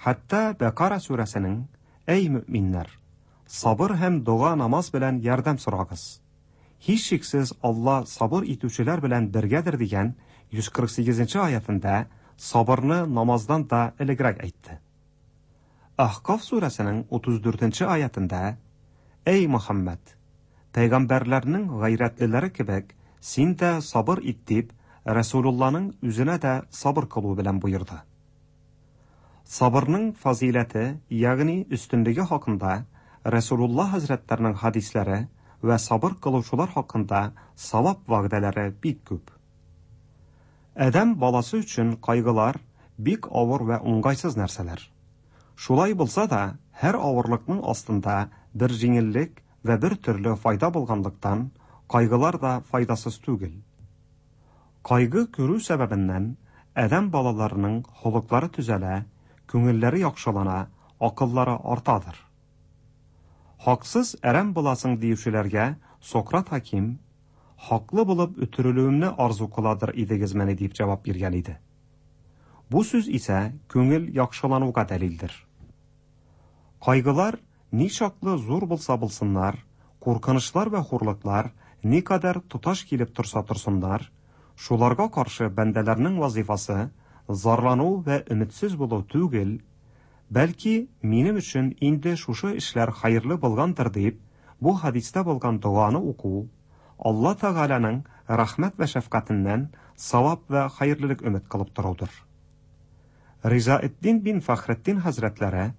Хәтта Бәкара сүрәсенең Әй мөэминнәр! Сабыр һәм дога-намаз белән ярдәм сорагыз. Һичшиксез Алла сабыр итүчеләр белән бергәдер дигән 148 нче аятендә сабырны намаздан да элегрәк әйтте. Әхкаф сүрәсенең 34 нче аятендә Әй Мөхәммәд! Пәйгамбәрләрнең гайрәтлеләре кебек син дә сабыр ит дип Рәсүлулланың үзенә дә сабыр кылу белән боерды. Сабырның фазыйләте, ягъни өстенлеге хакында Рәсүлулла хәзрәтләренең хәдисләре вә сабыр кылучылар хакында савап вәгъдәләре бик күп. Адәм баласы өчен кайгылар бик авыр вә уңгайсыз нәрсәләр. Шулай булса да, һәр авырлыкның астында бер җиңеллек вә бер төрле файда булганлыктан, кайгылар да файдасыз түгел. Кайгы күрү сәбәбеннән адәм балаларының холыклары төзәлә, күңелләре яхшылана, акыллары артадыр. Хаксыз әрәм буласың диючеләргә Сократ хаким, Хаклы булып үтерелүемне арзу кыладыр идегезмени дип җавап биргән иде. Бу сүз исә күңел яхшылануга дәлилдер. Кайгылар ничаклы зур булса булсыннар, куркынычлар вә хурлыклар никадәр тоташ килеп торса торсыннар, шуларга каршы бәндәләрнең вазыйфасы зарлану вә өметсез булу түгел, бәлки минем өчен инде шушы эшләр хәерле булгандыр дип, бу хәдистә булган доганы уку, Алла Тәгаләнең рәхмәт вә шәфкатеннән савап вә хәерлелек өмет кылып торудыр. Ризаэддин бин Фәхретдин хәзрәтләре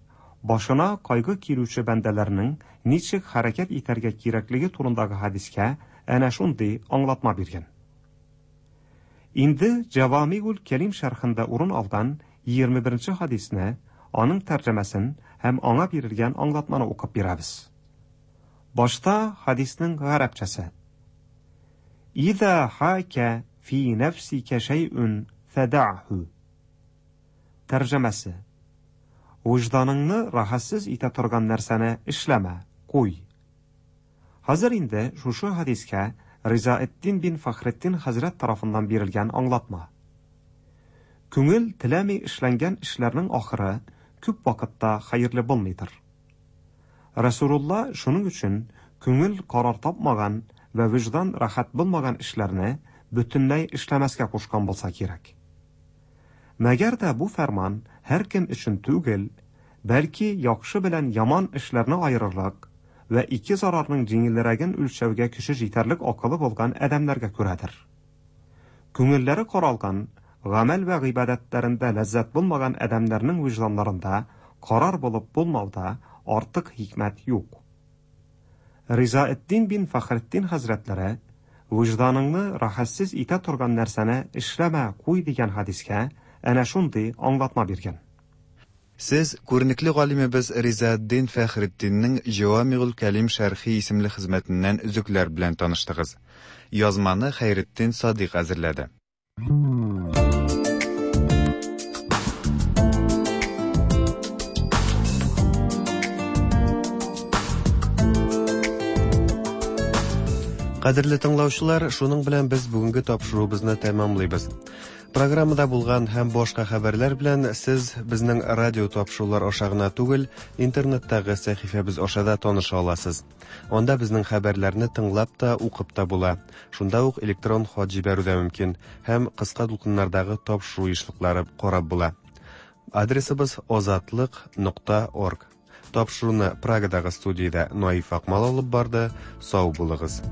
башына кайгы килүче бәндәләрнең ничек хәрәкәт итәргә кирәклеге турындагы хәдискә әнә шундый аңлатма биргән. Инде Җәвамигуль Кәлим шәрхендә урын алган 21 нче хәдисне, аның тәрҗемәсен һәм аңа бирелгән аңлатманы укып бирәбез. Башта хәдиснең гарәпчәсе. Иза хака фи нәфсика шәйъүн фәдәъһу. Тәрҗемәсе. Вөҗданыңны рәхәтсез итә торган нәрсәне эшләмә, куй. Хәзер инде шушы хәдискә Ризаэддин бин Фәхретдин хәзрәт тарафыннан бирелгән аңлатма. Күңел теләми эшләнгән эшләрнең ахыры күп вакытта хәерле булмыйдыр. Рәсүлулла шуның өчен күңел карар тапмаган вә вөҗдан рәхәт булмаган эшләрне бөтенләй эшләмәскә кушкан булса кирәк. Мәгәр дә бу фәрман һәркем өчен түгел, бәлки яхшы белән яман эшләрне аерырлык вә ике зарарның җиңелрәген үлчәүгә көче җитәрлек акылы булган адәмнәргә күрәдер. Күңелләре каралган, гамәл вә гыйбадәтләрендә ләззәт булмаган адәмнәрнең вөҗданнарында карар булып булмауда артык хикмәт юк. Ризаэддин бин Фәхретдин хәзрәтләре, Вөҗданыңны рәхәтсез итә торган нәрсәне эшләмә, куй дигән хәдискә әнә шундый аңлатма биргән. Сез күренекле галимебез Ризаэддин Фәхретдиннең Җәвамигуль Кәлим шәрхи исемле хезмәтеннән өзекләр белән таныштыгыз. Язманы Хәйретдин Садыйк әзерләде. Кадерле тыңлаучылар, шуның белән без бүгенге тапшыруыбызны тәмамлыйбыз. Программада булган һәм башка хәбәрләр белән сез безнең радио тапшырулар аша гына түгел, интернеттагы сәхифәбез аша да таныша аласыз. Анда безнең хәбәрләрне тыңлап та, укып та була. Шунда ук электрон хат җибәрү дә мөмкин һәм кыска дулкыннардагы тапшыру ешлыклары карап була. Адресыбыз озатлык нокта орг. Тапшыруны Прагадагы студиядә Наиф Акмал алып барды. Сау булыгыз.